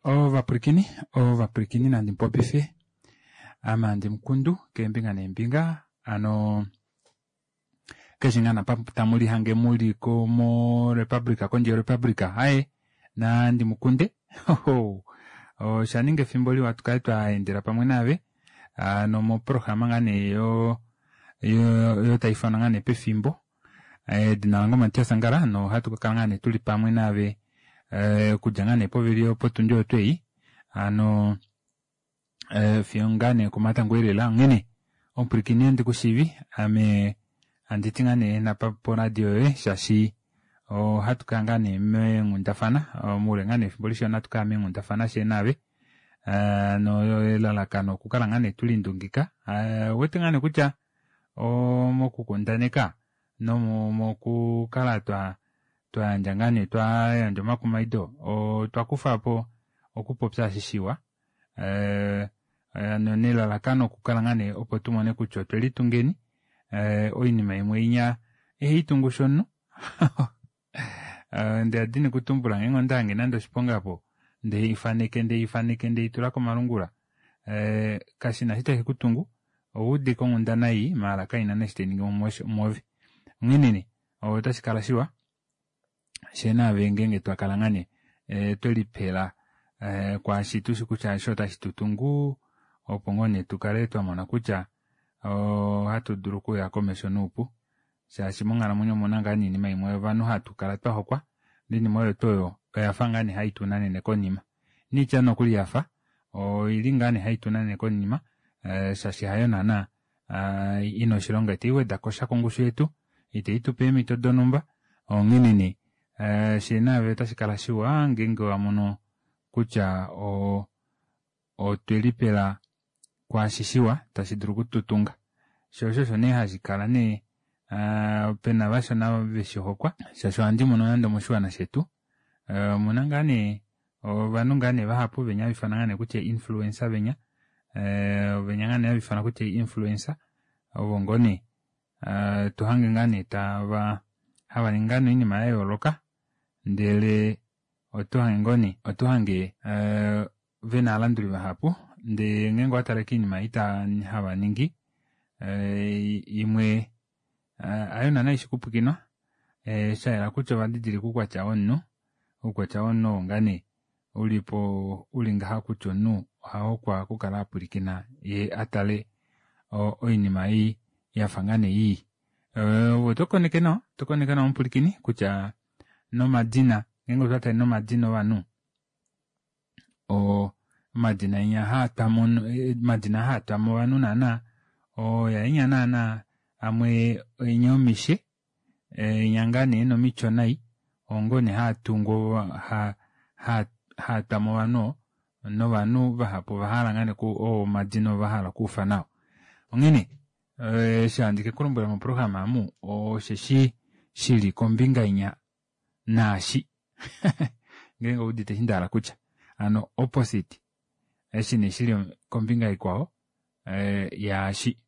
Ovapwilikini, ovapwilikini nandi mupopife ame handi mukundu keembinga neembinga hano keshe ngaa napa tamu lihange muli ko morepublica kondje yorepublica haye nandi mukunde osha ninga efimbo liwa tukale twa endela pamwe naave hano moprograma ngaa nee yo yo tai ifanwa ngaa nee pefimbo Edina lange oMatias Angala nohatu ka kala ngaa nee tuli pamwe naave eh, okudja ngaa nee povili potundi oyo twei hano eh, fiyo ngaa nee komatango elela. Onghene omupwilikini handi ku shiivi ame handi ti ngaa nee napa poradio yoye shaashi ohatu kala ngaa nee meenghundafana moule ngaa nee efimbo lishona ohatu kala meenghundafana shee naave eh, no elalakano okukala ngaa nee tulindungika eh, wete ngaa nee kutya mokukundaneka nomokukala twa twa yandja ngaa nee twa yandja omakumaido otwa kufa po okupopya eshi shiwa eh, nelalakano okukala ngaa nee opo tu mone kutya otwe litungeni eh, oinima imwe inya ihai tungu shomunhu Eh, nde adini kutumbula ngeenge onda hange nande oshiponga po nde i faneke nde i faneke nde i tula komalungula eh, kashi na shi tashi ku tungu owa udika onghundana ii maala kaina neshi tai ningi mwoove onghene nee otashi kala shiwa shee naave ngeenge twa kala ngaa nee eh, twe lipela eh, kwaashi tushi kutya eshi otashi tu tungu opo ngoo nee tu kale twa mona kutya ohatu dulu okuya komesho noupu shaashi monghalamwenyo omuna ngaa nee oinima imwe ovanhu hatu kala twa hokwa oinima oyo tuu oyo oya fa ngaa nee hai tu nanene konima niitya nokuli ya fa oili ngaa nee hai tu nanene konima eh, shaashi hayo naana eh, ina oshilonga itai weda ko sha kongushu yetu itai tu pe eemhito donhumba onghene nee eh, shee naave otashi kala shiwa ngeenge wa mono kutya otwe lipela kwaashi shiwa tashi dulu okututunga. Sho osho osho nee hashi kala nee pena vashona veshi hokwa shaashi ohandi mono nande omoshiwana shetu omuna ngaa nee ovanhu ngaa nee vahapu venya hava ifanwa ngaa nee kutya influencer venya venya ngaa nee hava ifanwa kutya influencer ovo ngoo nee to hange ngaa nee tava hava ningi ngaa nee oinima ya yooloka ndele oto hange ngoo nee oto hange ve na aalanduli vahapu ndee ngeenge owa tale kiinima ei hava ningi eh, imwe eh, hayo naana ishi kupwikinwa eh, sha yela kutya ova didilika oukwatya womunhu oukwatya womunhu oo ngaa nee uli po uli ngaha kutya omunhu oha hokwa okukala a pwilikina ye a tale oinima ei ya fa ngaa nee ii ove oto koneke nawa oto koneke nawa omupwilikini kutya nomadina ngeenge otwa tale nomadina ovanhu omadina enya haa twamo omadina haa twamo ovanhu naana oya enya naana amwe enya omishe enya ngaa nee nomityo nai ongo nee haa tungu haa twamo ovanhu novanhu vahapu ova hala ngaa nee oo omadina ova hala okuufa nao onghene eshi handi ke kulombwela moprograma amu osheshi shili kombinga inya naashi ngeenge oudite eshi nda hala kutya hano opposite eshi nee shili kombinga ikwao eh, yaashi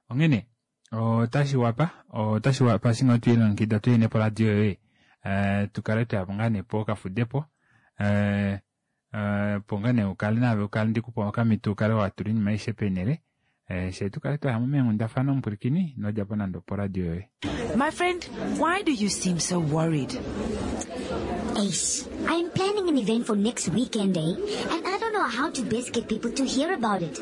onghene otashi wapa otashi wapa eshi ngoo twelilongekida tuye nee poradio yoye eh, tu kale twayapo ngaa nee pokafudepo eh, opo ngaa nee ukale naave ukale ndikupa okamhito ukale watula oinima aishe peenhele eh, shee tukale twaya mo meenghundafana omupwilikini inodjapo nande oporadio yoye. My friend, why do you seem so worried? Ace, I am planning an event for next weekend, eh? And I don't know how to best get people to hear about it.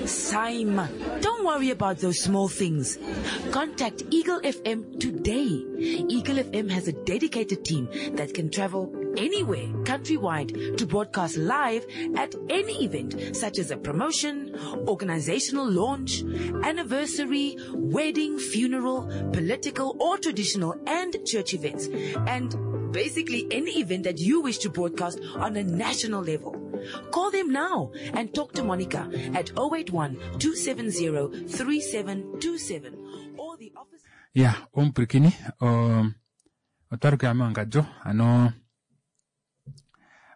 Simon, don't worry about those small things. Contact Eagle FM today. Eagle FM has a dedicated team that can travel anywhere countrywide to broadcast live at any event, such as a promotion, organizational launch, anniversary, wedding, funeral, political or traditional and church events, and basically any event that you wish to broadcast on a national level. Call them now and talk to Monica at 081 270 3727 or the office. Ya, omupwilikini otwa lukila mewangadjo ano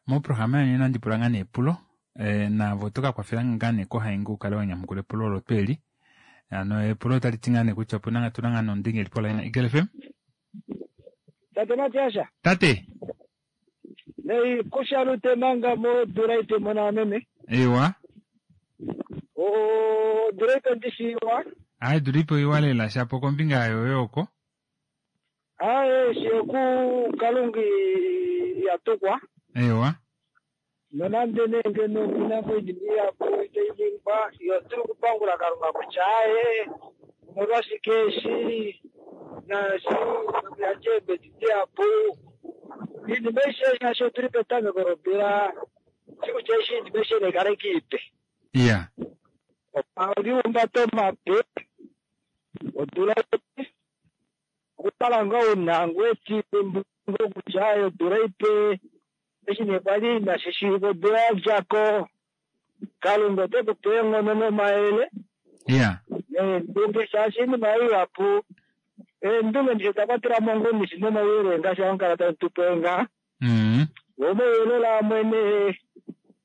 moprograma yonena nandi pula ngaa nee epulo eh, naave oto ka kwafela ngaa nee kohainga u kale wa nyamukula epulo olo tuu eli ano epulo otali ti ngaa nee kutya opuna ngaa tuna ngaa nee omudenge eli poline Eagle FM Tate Matiasha. Tate. Nei kushalute manga modula ipe mona meme. Ewa. Odula ipe ndishiwa. Ayi tulipo iwa lela shapo kombinga yoyo oko. Aye sheku kalungi yatukwa. Ewa. Nonande nee ngeno kuna moinima ihapu itai ningwa, yo otuli okupangula Kalunga kutya aye omolwashike eshi naashi nokuyandja eembedi dihapu. Iinima aishe shaashi otuli petameko lodula, shi kutya eshi iinima aishe nai kale ike ipe. Iya. Omaliumbato mape, odula ipe, okukala ngoo una ngoo etimbo kutya aye odula ipe eshi nee kwali inashi shiiva odula ya dja ko, Kalunga ote ku pe eenghono nomayele Iya. neendunge shaashi oinima ihapu eendunge ndishi oda kwatela mo ngoo ndishi nomauyelele ngaashi hamukala tamu tu pe ngaha. Omauyelele amwe nee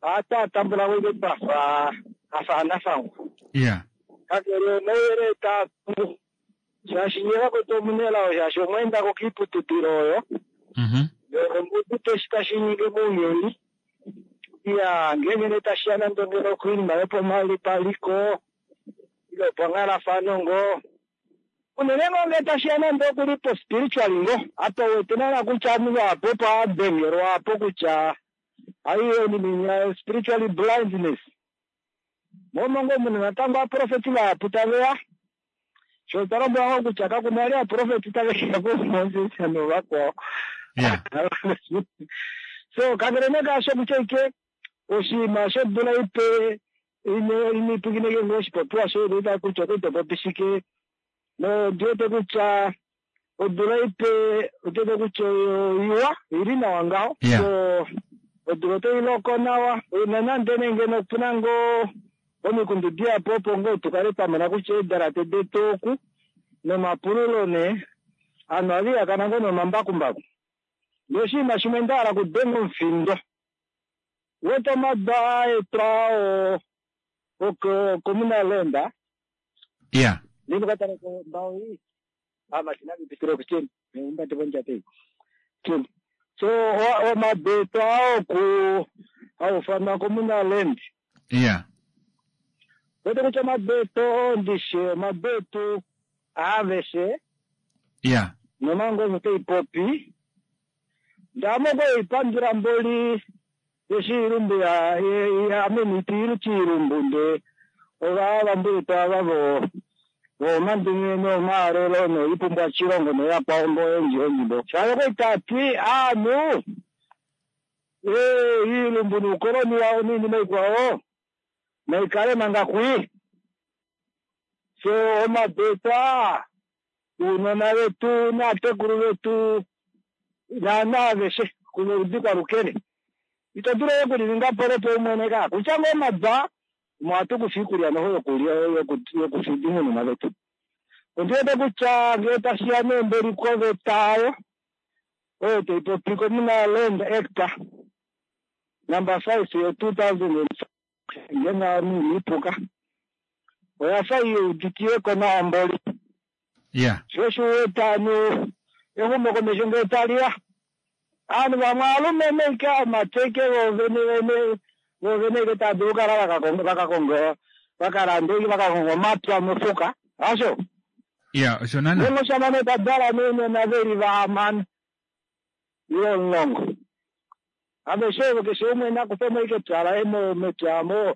ohatu a tambula ko ashike twafa afa anafangwa. Iya. Kakele omauyelele taa tungu shaashi nye vakwetu omunelao shaashi omwa enda ko kiiputudilo oyo. Omuudite eshi tashi ningi mounyuni. Iya, ngeenge nee tashi ya nande ngeno koinima yopaliko ile opanghalafano ngoo. Unene ngoo ngee tashi ya nande okuli po spiritual ngoo. Apa uwete naana kutya ovanhu vahapu opo adengelwa apo kutya aiyo oinima inya spiritually blindness. Momo ngoo muna natango ovaprofeti vahapu taveya. Sho twa lombwelwa ngoo kutya kakuna vali ovaprofeti taveya kuMoses novakwao. Iya. So kakele nee kaasho kutya ike oshinima shodula ipe ino ipwikineke ngoo oshipopiwa shoye ndoita kutya oto popi shike. Nondiwete kutya odula ipe otiwete kutya oiwa ili nawa ngaho. Yeah. So odula otai loko nawa nonande nee ngeno opuna ngoo omikundu dihapu opo ngoo tukale twamona kutya eedalate detu oku nomapululo nee ovanhu ohava ihakana ngoo nomambakumbaku. Noshinima shimwe ndahala okudenga omufindo wete omadu aetwa oo communal land. Iya. Ndinokatala mbao iyi amashina vipitire kucheni umbate vonjate iyi cheni. So omadu etu aoku aufana communal land. Iya. Wete kutya omadu etu ndishe omadu etu aveshe. Iya. Nomanga oyo taipopi ndamo koipandula mboli yeshilumbu ya ameniti ilu chilumbu nde ova vambulitu ava vo vomandunge nomaalelo noipumbwa chilongo noyakwao mbo endji endji mbo shalo koitati aanhu iilumbu nuukoloni wawo niinima ikwao naikale manga kwi. So omabeta uunona vetu naatekulu vetu naana aveshe kunoludi kwalukene ito dulu okulininga polopo umwene ka kutya ngoo omaba ohatu kufa iikulya noho yokulya yokufida uunona vetu. Ondiwete kutya ngee tashiya neembeli koveta ayo oyo taipopi Communal Land Act number 5 yo 2005 ngenge ame iniipuka oya fa iuditiweko nawa mboli. Iya. Sho osho uwete ovanhu exumokomesho ngee taliya aanhu vamwe aalumenhu ike aamati ike voovene vene voovene ike tava dulu okukala vakakonga vakalanda ike vakakonga omapya mofuka hasho. Iya, osho naana. Ngenge oshamane tadala nounona veli vahamano ile 10 aveshe ovo keshe umwe nakufemo ike epya laye mepya mo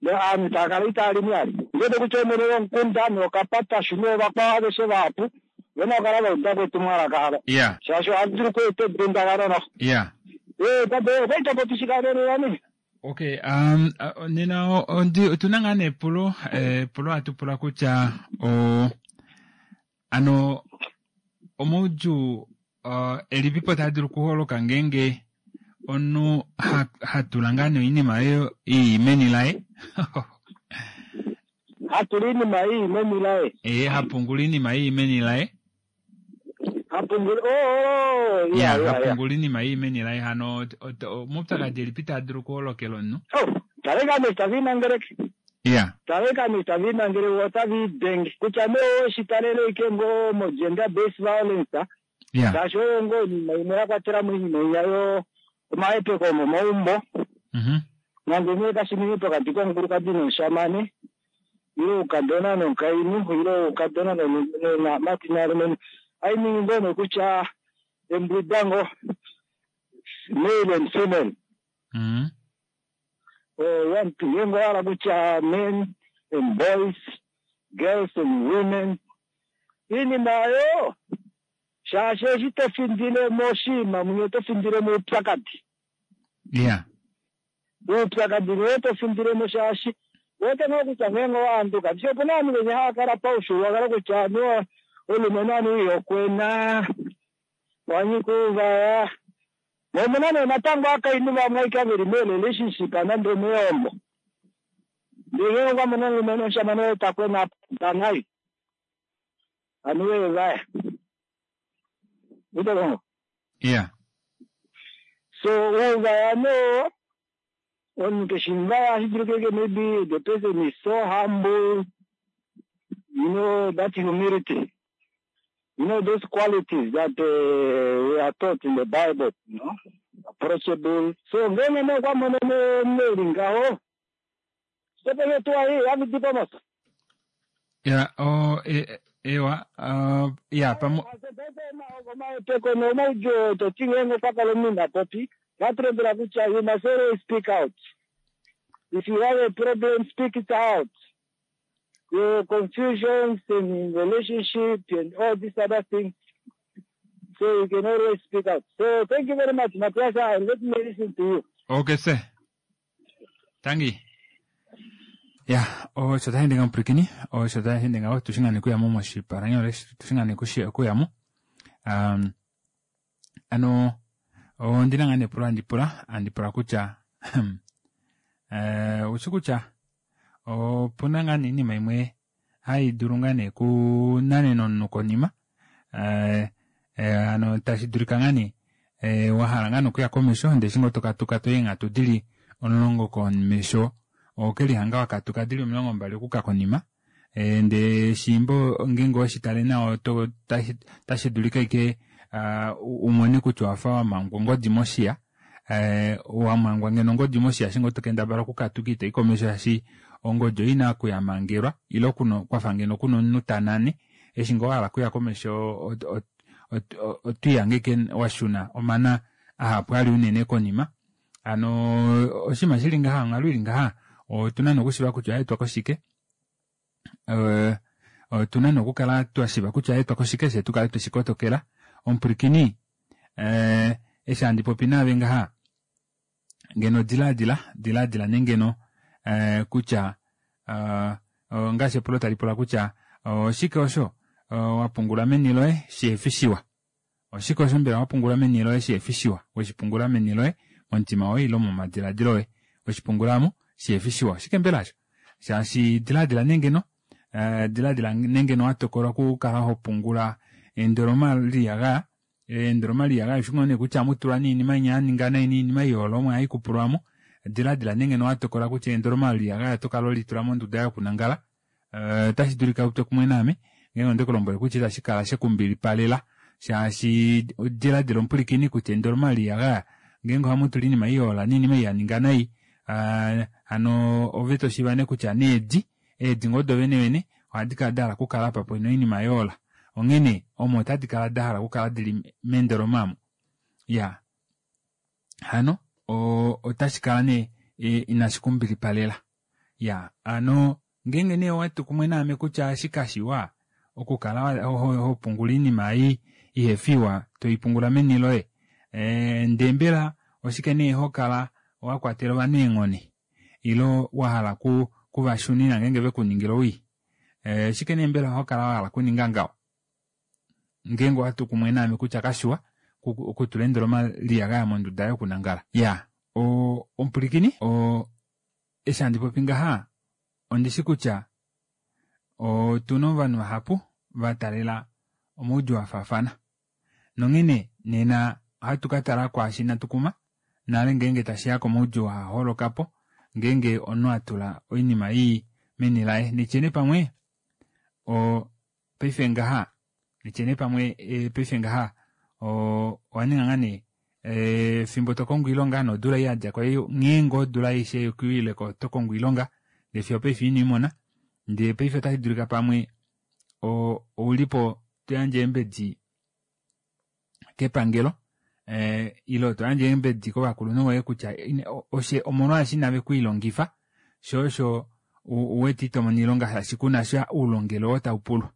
aanhu tava kala itava limi vali. Ndiwete kutya omwene womukunda nokapatashu noovakwao aveshe vahapu vena okukala vauda ko etumwalaka alo. Iya. Shaashi ohali dulu okweeta edundakano noho. Iya. Tate okwa popi shikanene. Okay, nena otuna ngaa nee epulo, epulo hatu pula kutya ano omaudjuu elipipo taa dulu okuholoka ngeenge omunhu hatula ngaa nee oinima oyo ii meni laye. Hatula oinima ii meni laye. Hapungula oinima ii meni laye. Hapungula oh ya hapungula oinima ii meni laye hano omaupyakadi elipi taa dulu okuholokela omunhu. Oh, taleka Mr. Vinangereke. Iya. Taleka Mr. Vinangereke otavi denge kutya nee oshitalele ike ngoo mo gender based violence. Iya. Shaashi oyo ngoo oinima imwe ya kwatela mo oinima iya yo Omahepeko omomaumbo. Nande nee kashi ninge pokati komukulukadi nomushamane, ile oukadona nomukainhu, ile oukadona namati nalumenhu. Ohai ningi ngoo nee kutya embwidango male and female. Ngeenge owa hala kutya men and boys, girls and women, iinima oyo shaashi eshi to findile moshinima munya oto findile moupyakadi. Uupyakadi nee to findile mo shaashi uwete ngoo kutya ngeenge owa handuka ndishi opuna ovanhu venya hava kala paufyuululwakalo kutya anuwa omulumenhu anuwa ihokwena wanyika ouvaya. Mo omuna nee natango ovakainhu vamwe ashike veli mee-relationship nande omeehombo ndee ngeenge okwa mono omulumenhu omushamane woye ta kwena tanai anuwa evaya. Uwete ngoo? So ouvaya nee omunhu keshi muvaya ohashi dulika ashike maybe the person is so humble, you know that humility, you know those qualities that we are taught in the Bible, you know, approachable. So ngeenge nee okwa mono nee omunhu eli ngaho, sitopeni tuu ai havidipo mos. Ya, o, e, ewa, ya, pamo. Omahepeko nomaudjuu to ti ngeenge okwa kala omunhu ina popi, vatulombwela kutya you must always speak out. If you have a problem, speak it out. Your confusions in relationship and all these other things. So you can always speak out. So thank you very much, Matthias. And let me listen to you. Okay, sir. Tangi. Ya, osho tashi ende ngamupwilikini, osho tashi ende ngaho, tushingane kuyamo moshipalanyole, tushingane kuyamo. Ano, ondina ngaa nepulo handi pula, handi pula kutya, oushi kutya, opuna ngaa nee iinima imwe hai dulu ngaa nee kunanena omunhu konima, hano tashi dulika ngaa nee wa hala ngaa nee okuya komesho, ndele eshi ngoo tokatuka toyi eenghatu dili 10 komesho, okelihanga wakatuka dili 20 okuka konima, ndele shimbo ngeenge oweshi tale nawa otashi dulika ashike umone kutya owafa wamangwa ongodi moshiya, wamangwa ngeno ongodi moshiya eshi ngoo tokendabala okukatuka itoyi komesho shaashi ongodi oyo ina okuyamangelwa ile kwafa ngeno kuna omunhu tanane, eshi ngoo wahala okuya komesho otwiihange ashike washuna omana ahapu ali unene konima. Hano oshinima shili ngaha, onghalo ili ngaha, otuna nee okushiiva kutya oyaetwa koshike, otuna nee okukala twashiiva kutya oyaetwa koshike fye tukale tweshi kotokela. Omupwilikini, eshi handi popi naave ngaha, ngeno dilaadila, dilaadila nee ngeno kutya ngaashi epulo tali pula kutya oshike osho wa pungula meni loye shihefi shiwa. Oshike osho mbela wa pungula meni loye shihefi shiwa, weshi pungula meni loye, momutima woye ile momadiladilo oye, weshi pungula mo shihefi shiwa. Oshike mbela osho? Shaashi diladila nee ngeno, diladila nee ngeno wa tokola okukala ho pungula endoloma liiyagaya, endoloma liiyagaya ushi ngoo nee kutya amu tulwa noinima inya ya ninga nai noinima iyoolo omo hai kupulwa mo. Diladila nee ngeno wa tokola kutya endoloma liiyagaya oto kala ho litula monduda yokunangala. Otashi dulika utwe kumwe naame ngeenge onde ku lombwele kutya itashi kala she ku mbilipalela, shaashi diladila omupwilikini kutya endoloma liiyagaya ngeenge ohamu tula oinima iyoola noinima ei ya ninga nai, hano ove to shiiva nee kutya needi, eedi ngoo do venevene ohadi kala da hala okukala apa pena oinima yoola, onghene omo otadi kala da hala okukala dili mendoloma omo. Ya, hano otashi kala nee inashi ku mbilipalela. Ya, hano ngeenge nee owa tu kumwe naame kutya eshi kashiwa okukala ho pungula oinima ei ihefi iwa to i pungula meni loye, ndee mbela oshike nee ho kala wa kwatela ovanhu eenghone ile wa hala ku va shunina ngeenge ve ku ningila owii? Oshike nee mbela ho kala wa hala okuninga ngaho? Ngeenge owa tu kumwe naame kutya kashiwa okutula endoloma liyagaya monduda yokunangala. Ya, omupwilikini, eshi handi popi ngaha, ondi shi kutya otu na ovanhu vahapu va taalela omaudjuu a faafana. Nonghene nena ohatu ka tala kwaashi inatu kuma nale ngeenge tashi ya komaudjuu haa holoka po ngeenge omunhu a tula oinima ii meni laye. Nitye nee pamwe paife ngaha, nitye nee pamwe paife ngaha owa ninga ngaa nee. Fimbo to kongo oilonga nodula ei yadja ko ei nghee ngoo odula aishe yokuileko oto kongo oilonga ndee fiyo opaife ino imona ndee paife otashi dulika pamwe oulipo toyandje eembedi kepangelo ile toyandje eembedi kovakulunhu voye kutya omolwaashi inave kwiilongifa shoo osho uwete itomono oilonga shaashi kunasha oulongelwe oo taupulwa.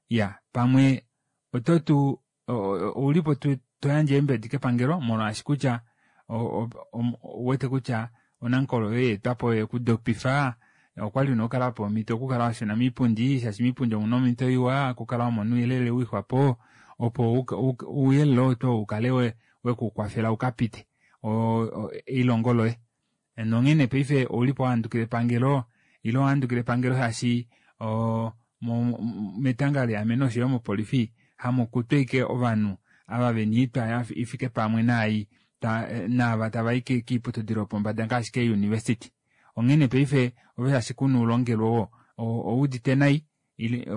Iya pamwe ototu oulipo toyandje eembedi kepangelo molwaashi kutya ouwete kutya onankolo yoye yeetwapo oyo yekudopifa okwali una okukala wapewa omhito okukala washuna moipundi shaashi moipundi omuna omhito iwa okukala wamona ouyelele wiixwapo opo ouyelele oo tuu ukale wekukwafela ukapite elihongo loye. Nonghene paife oulipo wahandukila epangelo ile owahandukila epangelo shaashi metanga leameno oshoyo mopolifi hamukutwa ashike ovanhu ava vena oitwa ifike pamwe naai naava tavai koiputudilo yopombada ngaashi kee university. Onghene paife ove shaashi kuna oulongelwe oo owuudite nai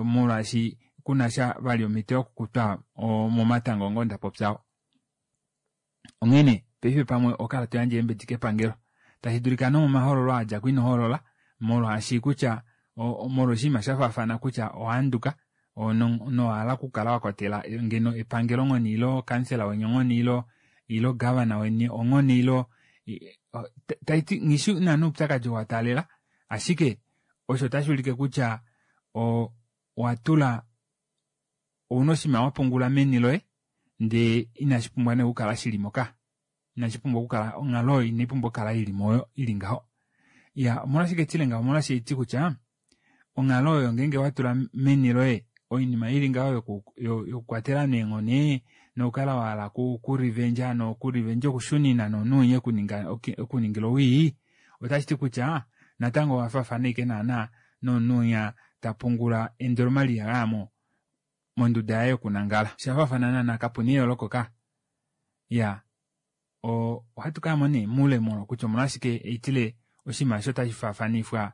molwaashi kunasha vali omhito yokukutwa momatanga oo ndapopya. Onghene paife pamwe ohokala toyandje eembedi kepangelo tashi dulika nomomahoololo adjako ino hoolola molwaashi kutya molwa oshinima shafaafana kutya owahanduka nowahala okukala wakwatela ngeno epangelo onghone ile kansela weni onghone ile governor weni onghone ile taiti nghishi naana oupyakadi oo wataalela ashike osho otashuulike kutya owatula ouna oshinima wapungula meni loye ndee inashipumbwa nee okukala shilimo ka inashipumbwa okukala onghalo oyo inaipumbwa okukala ilimo ili ngaho. Iya omolwashike tile ngaho omolwaashi haiti kutya onghalo oyo ngeenge watula meni loye oinima ili ngaho yokukwatela eenghone nokukala wahala okurevenge nokurevenge okushunina nomunhu ekuningila owii otashiti kutya natango owafaafana ashike naana nomunhu winya tapungula endoloma loiyagaya monduda yaye yokunangala. Oshafaafana naana kapuna eyooloko ka. Iya ohatu kayamo nee moule kutya omolwashike haitile oshinima eshi otashi faafanifwa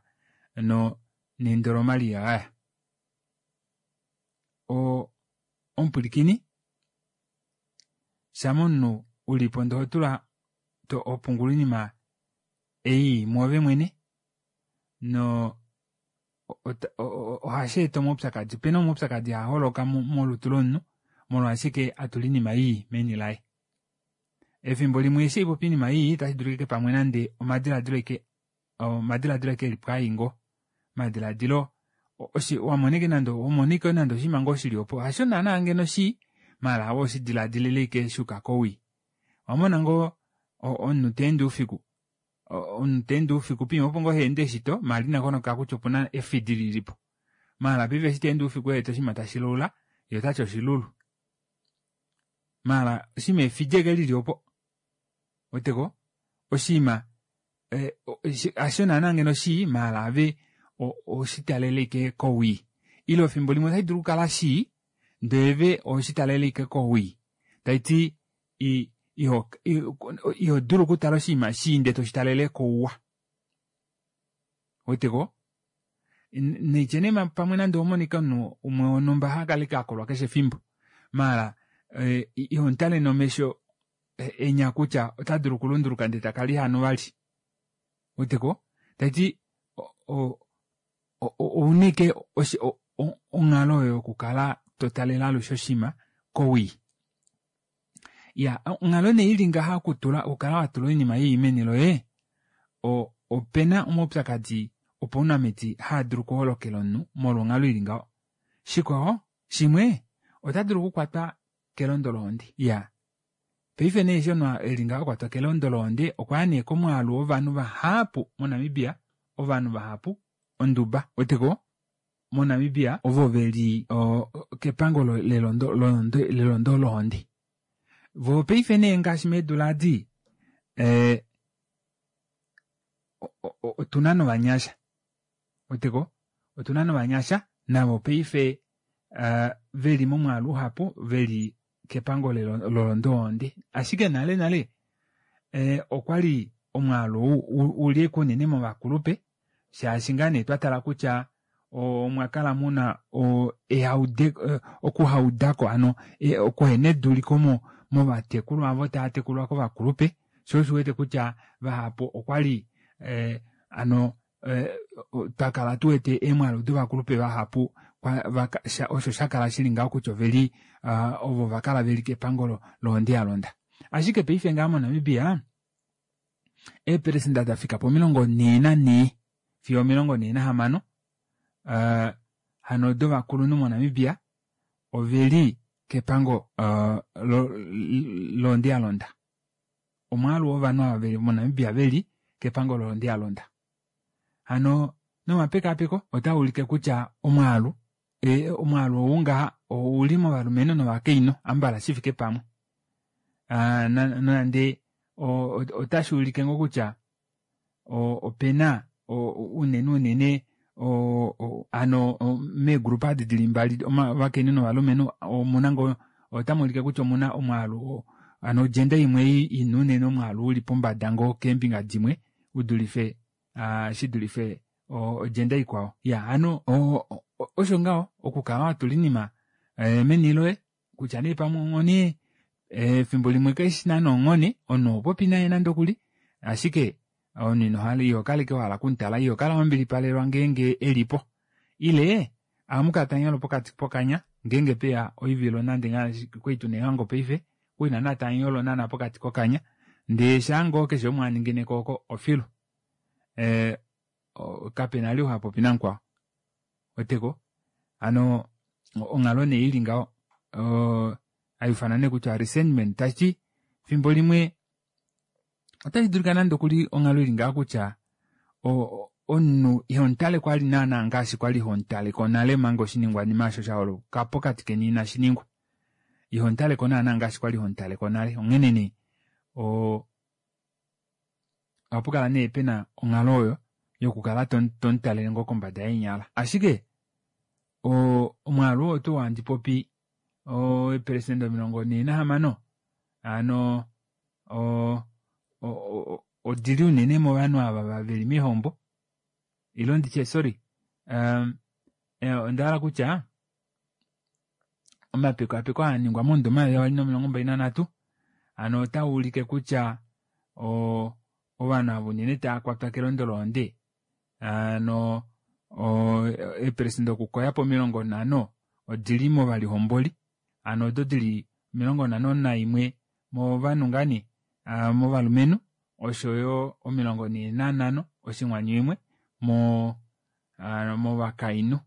nendoloma loiyagaya. Omupwilikini shama omunhu ulipo ndee ohotula hopungula oinima ei mwoove mwene no ohasheeta omaupyakadi. Opena omaupyakadi haaholoka molutu lomunhu molwaashike atula oinima ii meni laye. Efimbo limwe eshi haipopi oinima ii otashidulika ashike pamwe nande omadilaadilo ashike omadilaadilo ashike elipo ai ngoo omadilaadilo wamona ashike nande wamona ashike nande oshinima ngoo shili opo hasho naana ngeno shii maala ove oweshidilaadilila ashike shuuka kowii. Owamona ngoo omunhu teende oufiku omunhu teende oufiku poima opo ngoo haende shito maala ina koneka kutya opuna efidi lilipo maala paife eshi teende oufiku ewete oshinima tashilaula yee otati oshilulu maala oshinima efidi ashike lili opo ouweteko oshinima hasho naana ngeno shii maala ove oweshitalela ashike kowii ile efimbo limwe otashidulu okukala shii ndee ove oweshitalela ashike kowii taiti ihodulu okutala oshinima shii ndee toshitalele kouwa. Ouweteko naitye nee pamwe nande owamonika omunhu umwe wonhumba hakala ashike akolwa keshe efimbo maala ihomutale nomesho enya kutya otadulu okulunduluka ndee takala ihanu vali. Ouweteko taiti ouna ashike onghalo oyo yokukala totalele alushe oshinima kowii. Iya onghalo nee ili ngaha okutula okukala watula oinima ii meni loye opena omaupyakadi opaunamiti haadulu okuholokela omunhu molwa onghalo ili ngaho. Shikwao shimwe otadulu okukwatwa kelondo lohonde. Iya paife nee eshi omunhu eli ngaho akwatwa kelondo lohonde okwaya nee komwaalu wovanhu vahapu moNamibia ovanhu vahapu onduba ouweteko moNamibia ovo veli kepango lelondo lohonde. Voo paife nee ngaashi meedula adi otuna novanyasha ouweteko otuna novanyasha navo paife veli momwaalu uhapu veli kepango lelondo lohonde. Ashike nale nale okwali omwaalu ou uli ashike unene movakulupe shaashi ngaa nee twatala kutya omwakala muna okuhaudako hano okuhena eduliko movatekulu avo tava tekulwa kovakulupe shoo osho uwete kutya vahapu okwali hano twakala tuwete eemwaalu dovakulupe vahapu osho shakala shili ngaho kutya oveli ovo vakala veli kepango lohonde yalonda. Ashike paife ngaha moNamibia eepelesenda dafika po 44 fiyo 46 hano dovakulunhu moNamibia oveli kepango lohonde yalonda. Omwaalu wovanhu ava veli moNamibia veli kepango lohonde yalonda. Hano nomapekaapeko otaa ulike kutya omwaalu omwaalu ou ngaha ouli movalumenhu novakainhu ambala shifike pamwe. Nonande otashi ulike ngoo kutya opena unene unene hano meegrupa adi dili mbali ovakainhu novalumenhu omuna ngoo otamuulike kutya omuna omwaalu hano ogender imwe ina unene omwaalu uli pombada ngoo keembinga dimwe udulife shidulife ogender ikwao. Ya hano osho ngaho okukala watula oinima meni loye kutya nee pamwe onghone efimbo limwe kaishi naana onghone omunhu ohopopi naye nande okuli ashike omunhu inohala ihokaleke wahala okumutala ihokala wambilipalelwa ngeenge elipo ile ohamukala tamunyolo pokati pokanya ngeenge peya oivilo nande ngaashi kwali tuna eehango paife okwali naana tamunyolo naana pokati kokanya ndee shaangoo keshe umwe aningineko oko ofilu kapena ali hapopi namukwao weteko hano onghalo nee ili ngaho haiufanwa nee kutya resentment tashiti fimbo limwe otashi dulika nande okuli onghalo ili ngaho kutya omunhu ihomutale kwali naana ngaashi kwali homutaleko nale manga oshiningwanima osho shaholoka pokati keni inashi ningwa. Ihomutaleko naana ngaashi kwali homutaleko nale onghene nee ohapukala nee pena onghalo oyo yokukala tomutalele ngoo kombada yeenyala. Ashike omwaalu oo tuu handi popi eepelesenda 46 hano odili unene movanhu ava veli meehombo ilo nditye sorry ondahala kutya omapekapeko aaningwa momudo 2023 hano otaa ulike kutya ovanhu ava unene tava kwatwa kelondo lohonde hano eepelesenda okukoya po 50 odili movalihomboli hano odo dili 51 movanhu ngani movalumenhu oshoyo 45.1 movakainhu.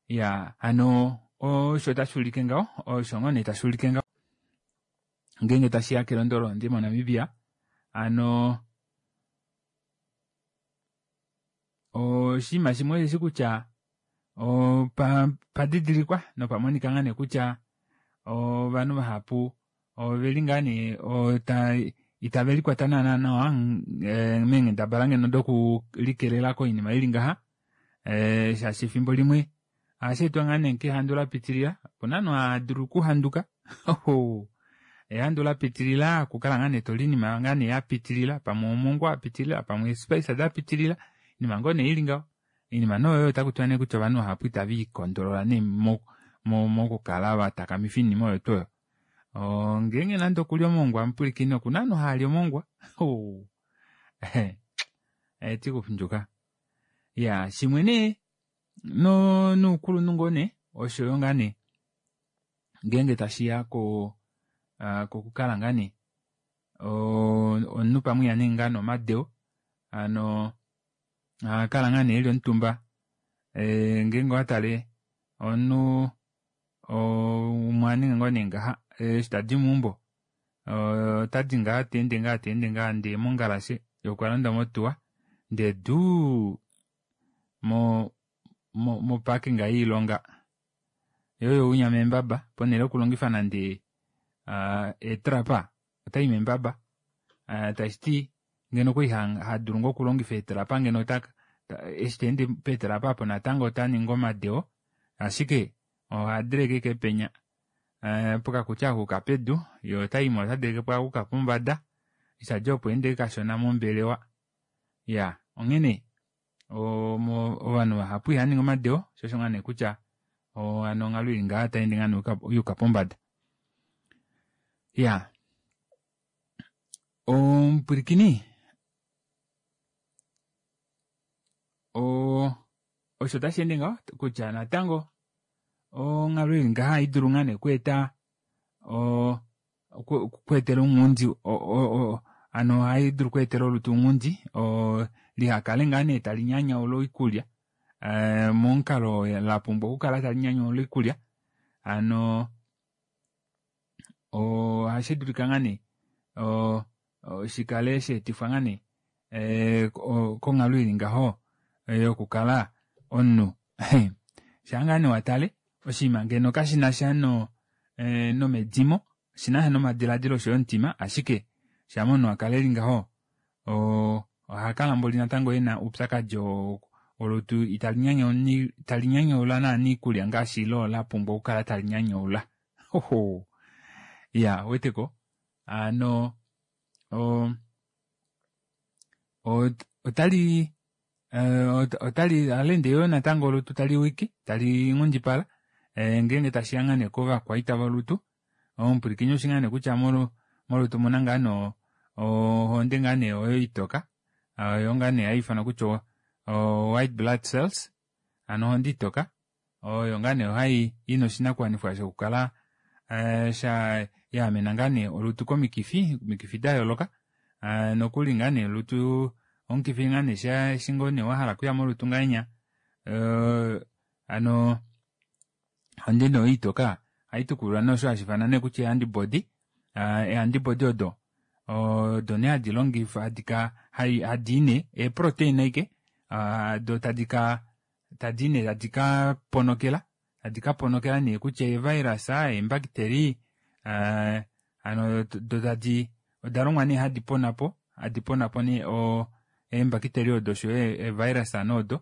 Ya hano osho tashi ulike ngaho osho ngoo nee tashi ulike ngaho ngeenge tashiya kelondo lohonde moNamibia hano oshinima shimwe osheshi kutya padidilikwa nopamonika ngaa nee kutya ovanhu vahapu oveli ngaa nee itave likwata naana nawa meenghendabala ngeno dokulikelela koinima ili ngaha shaashi efimbo limwe ohashi etwa ngaa nee kehandu lapitilila opuna ovanhu hava okuhanduka ehandu lapitilila okukala ngaa nee toli oinima ngaa nee yapitilila pamwe omongwa wapitilila pamwe eespice dapitilila oinima ngoo nee ili ngaho oinima nee oyo otakutiwa nee kutya ovanhu vahapu itave ikondolola nee mokukala vatakamifa oinima oyo tuu oyo. Ngeenge nande okulya omongwa mupwilikini okuna ovanhu haali omongwa etikufindjuka. Ya shimwe nee noukulunhu ngoo nee oshoyo ngaa nee ngeenge tashiya kokukala ngaa nee omunhu pamwe ihaningi ngaa nee omadeo hano ohakala ngaa nee eli omutumba ngeenge owatale omunhu umwe aninga ngoo nee ngaha eshi tadi meumbo otadi ngaa teende ngaa teende ngaa ndee mongalashe yee okwalonda motuwa ndee duu moparking yoilonga yoo oyo unya meembaba ponele yokulongifa nande eetrapa otai meembaba tashiti ngeno okwali hadulu ngoo okulongifa eetrapa ngeno eshi taende peetrapa apo natango otaningi omadeo ashike ohadeleke ashike penya pokakuti akuuka pedu yee otaimo otadelekepo akuuka pombada eshi tadi opo ende kashona mombelewa. Ya onghene ovanhu vahapu ihava ningi omadeo shoo osho ngaa nee kutya hano onghalo ili ngaha otayeende ngaa nee yuuka pombada. Iyaa omupwilikini osho tashi ende ngaho kutya natango onghalo ili ngaha ohaidulu ngaa nee okweeta okweetela ounghundi hano ohaidulu okweetela olutu ounghundi lihakale ngaa nee talinyanyaula oikulya momukalo lapumbwa okukala talinyanyaula oikulya hano ohashidulika ngaa nee shikale shaetifwa ngaa nee konghalo ili ngaho yokukala omunhu shaa ngaa nee watale oshinima ngeno kashinasha nomedimo oshinasha nomadilaadilo oshoyo omutima ashike shama omunhu akala eli ngaho ohakala mboli natango ena oupyakadi wolutu italinyanyaula naana oikulya ngaashi loo lapumbwa okukala talinyanyaula iyaa ouweteko hano otali ohaleende yoo natango olutu taliwike talinghundipala ngeenge tashiya ngaa nee kovakwaita volutu omupwilikini oushi ngaa nee kutya molutu omuna ngaa nee ohonde ngaa nee oyo itoka oyo ngaa nee haifanwa kutya o white blood cells hano ohonde itoka oyo ngaa nee hai ina oshinakuwanifwa shokukala yaamena ngaa nee olutu komikifi omikifi dayooloka nokuli ngaa nee olutu omukifi ngaa nee eshi ngoo nee wahala okuya molutu ngahenya hano ohonde nee oyo itoka ohaitukulula nee osho hashiifanwa nee kutya ee-antibody ee-antibody odo odo nee hadi longifwa hadii nee ee-protein ashike doo tadika tadii nee tadi kaponokela tadi kaponokela nee kutya ee-virus eembakiteli hano do tadi odalongwa nee hadi ponapo hadi ponapo nee eembakiteli odo oshoyo ee-virus odo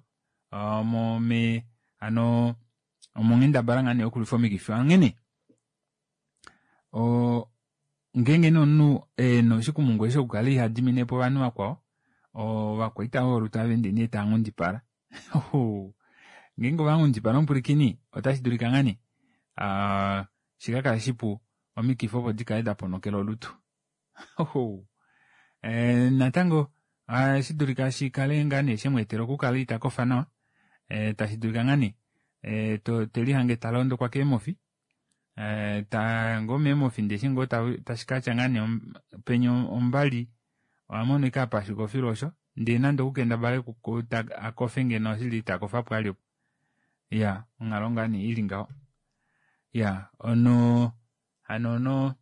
hano omonghendabala ngaa nee yokulwifa omikifi onghene ngeenge nee omunhu ena oshikumungu eshi shokukala ihadiminepo ovanhu vakwao ovakwaita volutu ohaveende nee taanghundipala ngeenge ovanghundipala omupwilikini otashi dulika ngaa nee shikakale shipu omikifi opo dikale daponokela olutu natango ohashi dulika shikale ngaa nee shemweetela okukala itakofa nawa tashi dulika ngaa nee telihange talondokwa keemofi ngoo meemofi ndee eshi ngoo tashikatya ngaa nee penya ombali ohamono ashike apashuka ofilu osho ndee nande okukendabale akofe ngeno oshili itakofapo vali opo iyaa onghalo ngaa nee ili ngaho iyaa ono hano ono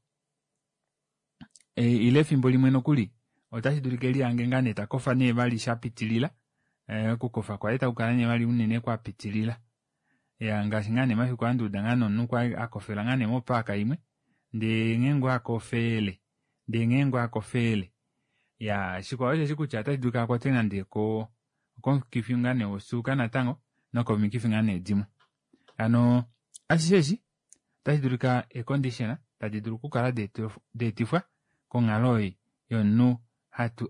ile efimbo limwe nokuli otashi dulika elihange ngaa nee takofa nee vali shapitilila okukofa kwaye takukala nee vali unene kwapitilila iyaa ngaashi ngaa nee mafiku anduuda ngaa nee omunhu kwali akofela ngaa nee mopaaka imwe ndee nghee ngoo akofele ndee nghee ngoo akofele iyaa shikwao osheshi kutya otashi dulika akwatwe nande komukifi ngaa nee wosuuka natango nokomikifi ngaa nee dimwe hano ashishe eshi otashi dulika eecondition tadi dulu okukala deetifwa konghalo ei yomunhu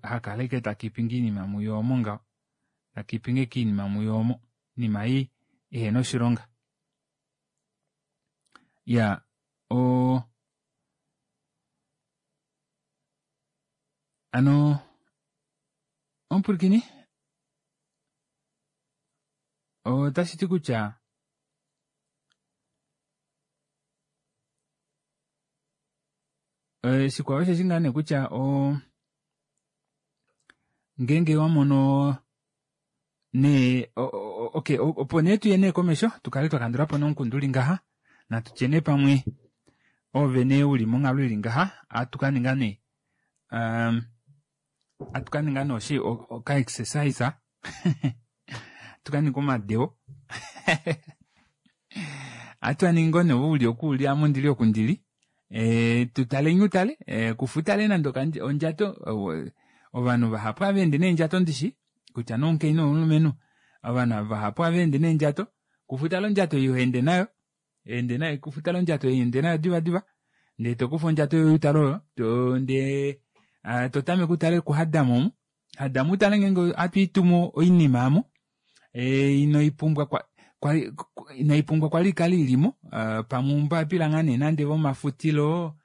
hakala ashike takipinge oinima muye omo ngaho takipinge ashike oinima muye omo oinima ei ihena oshilonga iyaa hano omupwilikini otashiti kutya shikwao osheshi ngaa nee kutya ngeenge wamono nee okay opo nee tuye nee komesho tukale twakandulapo nomukundu uli ngaha natutye nee pamwe ove nee uli monghalo ili ngaha ohatu kaninga nee ohatu kaninga nee oshi oka exercise ohatu kaninga omadeo ohatu aningi ngoo nee ove uli oku uli ame ondili oku ndili tutale utale kufa utale nande ondjato ovanhu vahapu ohaveende neendjato ndishi kutya nee omukainhu omulumenhu ovanhu vahapu ohaveende neendjato kufa utale ondjato ei hoende nayo ende nayo kufa utale ondjato ei ende nayo diva diva ndee tokufa ondjato yoye utale oyo ndee totameke utale kuhadamo omu hadamo utale ngeenge ohatu itumu oinima aamo inoipumbwa inaipumbwa kwali ikale ilimo pamwe oumbapila ngaa nee nande vomafutilo.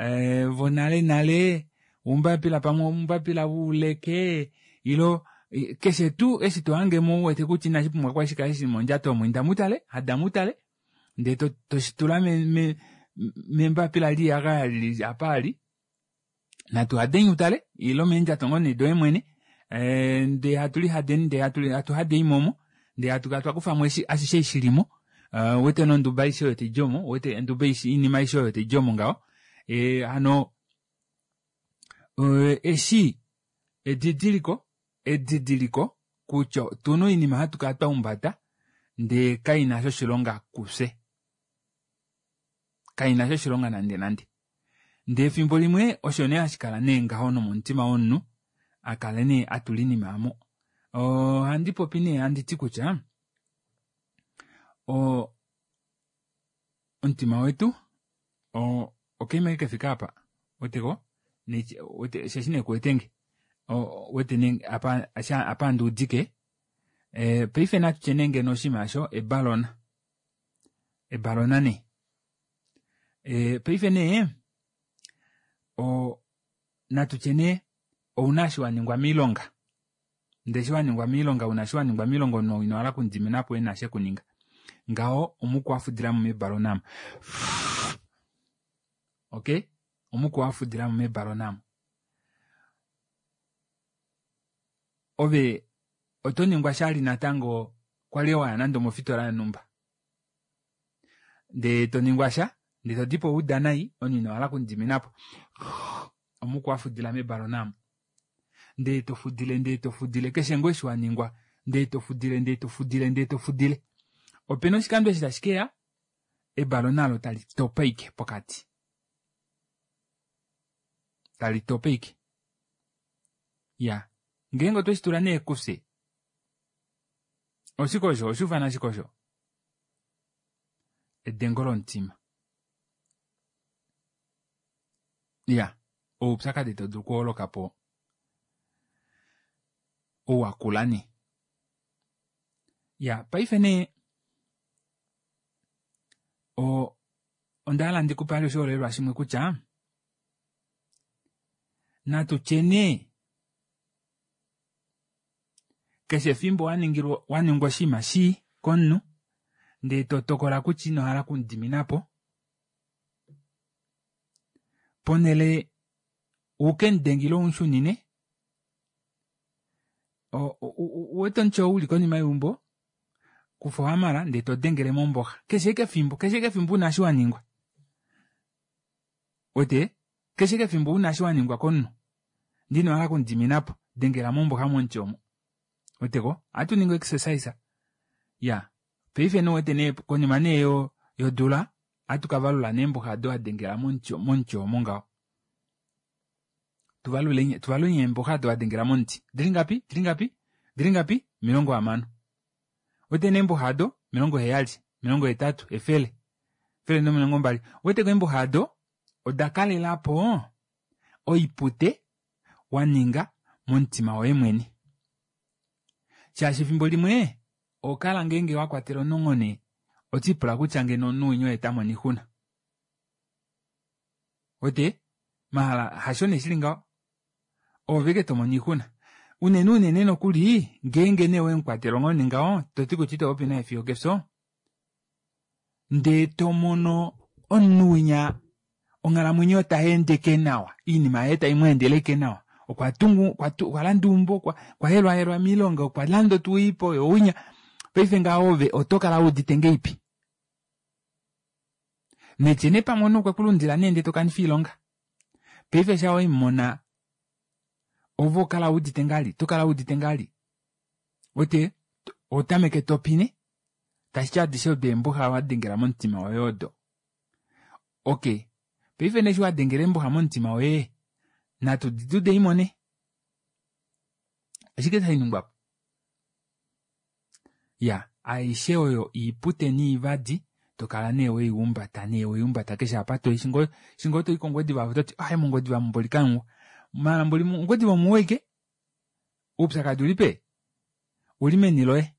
Vonale nale oumbapila pamwe oumbapila vouleke ilo keshe tuu eshi tohangemo uwete kutya inashi pumbwa kwali shikale shili mondjato omo inda mutale hada mutale ndee toshitula membapila liyagaya lili apa ali natu hadeni utale ilo meendjato ngoo nee doye mwene ndee hatu lihadeni ndee hatu hadeimo omo ndee hatu kala twakufamo ashishe eshi shilimo uwete nonduba aishe oyo taidi omo uwete onduba oinima aishe oyo taidi omo ngaho hano eshi edidiliko edidiliko kutya otuna oinima hatu kala twahumbata ndee kainasha oshilonga kufye kainasha oshilonga nande nande ndee efimbo limwe osho nee hashikala nee ngaho nomomutima womunhu akale nee atula oinima aamo ohandi popi nee handiti kutya omutima wetu okaima ashike kefike apa uweteko osheshi nee kuwetenge uwete nee apa handuudike paife natutye nee ngeno oshinima aasho ebalona ebalona nee paife nee natutye nee ouna eshi waningwa moilonga ndee eshi waningwa moilonga una eshi waningwa moilonga omunhu ou inohala okumudiminapo ena eshi ekuninga ngaho omuku wafudilamo mebalona aamo okey omuku wafudilamo mebalona aamo ove oto ningwa shali natango kwali waya nande omofitola yonumba ndee toningwa sha ndee todipo wauda nai omunhu inohala okumudiminapo omuku wafudila mebalona aamo ndee tofudile ndee tofudile keshe ngoo eshi waningwa ndee tofudile ndee tofudile ndee tofudile opena oshikando eshi tashi keya ebalona olo tali topa ashike pokati tali topa ashike iya ngeenge otwe shitula nee kufye oshike osho oshuufana shike osho edengo lomutima iya oupyakadi tau dulu okuholokapo ou wakula nee iya paife nee onda hala ndikupe vali oshiholelwa shimwe kutya natu tye nee keshe efimbo waningilwa waningwa oshinima shii komunhu ndee totokola kutya inohala okumudiminapo ponhele ukemudenge ile umushunine uwete omuti oo uli konima yeumbo kufa ohamala ndee todengele momboxa keshe ashike efimbo keshe ashike efimbo una eshi waningwa uwete keshe ashike efimbo una eshi waningwa komunhu ndee inohala okumudiminapo dengela momboxa momuti omo uweteko ohatu ningi exercise iya paife nee ouwete nee konima nee yodula ohatu kavalula nee eemboxa odo wadengela momuti omo ngaho tuvalule tuvalule eemboxa odo wadengela momuti dilingapi dilingapi dilingapi 60 uwete nee eemboxa odo 70 80 100 120 uweteko eemboxa odo oda kalelapo oipute waninga momutima woye mwene shaashi efimbo limwe ohokala ngeenge wakwatela omunhu onghone otiipula kutya ngeno omunhu winya oye tamona oixuna wete mahala hasho nee shili ngaho oove ike tomona oixuna unene unene nokuli ngeenge nee wemukwatela onghone ngaho toti kutya ito popi naye fiyo okefyo ndee tomono omunhu winya onghalamwenyo tayeendeke nawa oinima yaye taimweendele nawa okwa tungu okwa landa eumbo okwa helwahelwa moilonga okwa landa otuwiipo yowinya paife ngaho ove oto kala wuudite ngeipi netye nee pamwe omunhu okwe kulundila nee ndee tokanifa oilonga paife sha weimona ove okala wuudite ngali tokala wuudite ngali wete otameke topine tashiti adishe odo eembuxa wadengela momutima woye odo okey paife nee eshi wadengela eembuxa momutima woye natu didude imone oshike shaningwapo ya aishe oyo iipute niivadi tokala nee weihumbata nee weihumbata keshe apa toyi shingo toyi kongwediva ototi aye mongwediva mboli kamuwa maala mboli mongwediva omuwa ashike oupyakadi ulipe uli meni loye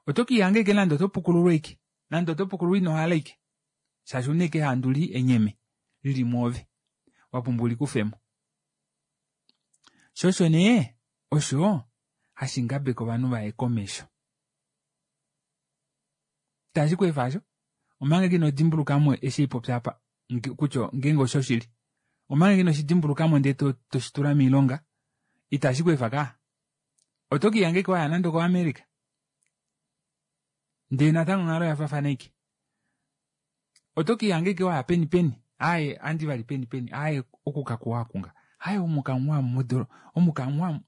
oto kiihanga ashike nande oto pukululwa ashike nande oto pukululwa inohala ashike shaashi ouna ashike ehandu lii enyeme lili mwoove. Wapumbwa ulikufemo. Sho osho nee osho hashi ngabeke ovanhu vaye komesho. Itashi ku efa asho? Omanga ino dimbulukamo eshi ipopya apa kutya ngeenge osho shili. Omanga ino shi dimbulukamo ndee toshi tula moilonga, itashi ku efa kaa. Oto ke ihanga ashike waya nande okoAmerica. Ndee natango onghalo oya faafana ashike. Oto ke ihanga ashike waya peni peni. Aaye, andi vali peni peni. Aaye, oku kakuwa akunga. Aaye, omu kamuwa mudolo. Omu kamuwa,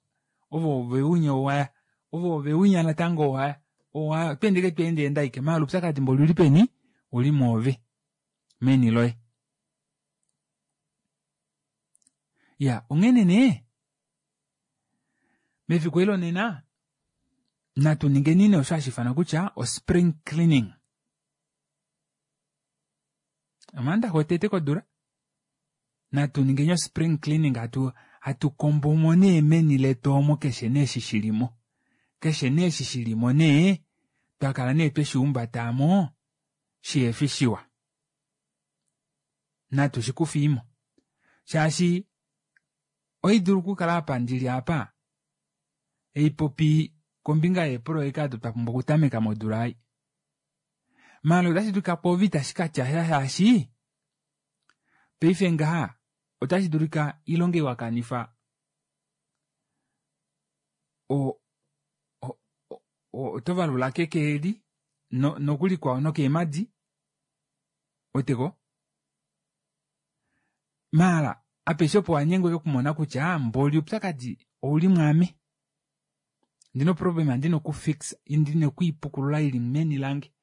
ovo veunya owaya. Ovo veunya natango owaya. Owa, otweende ke tweende enda ashike. Maala oupyakadi mboli uli peni? Uli mwoove. Meni loye. Ya, onghene nee, mefiku eli lonena, natu ningeni nee osho hashi ifanwa kutya o-spring cleaning. Omaandaxa otete kodula, natu ningeni o-spring cleaning, hatu, hatu kombo mo nee meni letu omo keshe nee eshi shi li mo. Keshe nee eshi shi li mo nee, twa kala nee twe shi humbata mo, shihefi shiwa. Natu shi kufiimo. Shaashi, oidulu okukala apa ndili apa, eipopi kombinga yeeproyeka odo twa pumbwa okutameka modula ei. Maala otashi dulika pwoove itashi ka tya sha shaashi paife ngaha otashi dulika oilonga ei wa kanifa oto valula keke eli nokuli kwao nokeemadi weteko maala apeshe opo wa nyengwa okumona kutya mboli oupyakadi ouli mwaame. Ndina oproblema ndina okufixa, ndina okwiipukulula ili meni lange.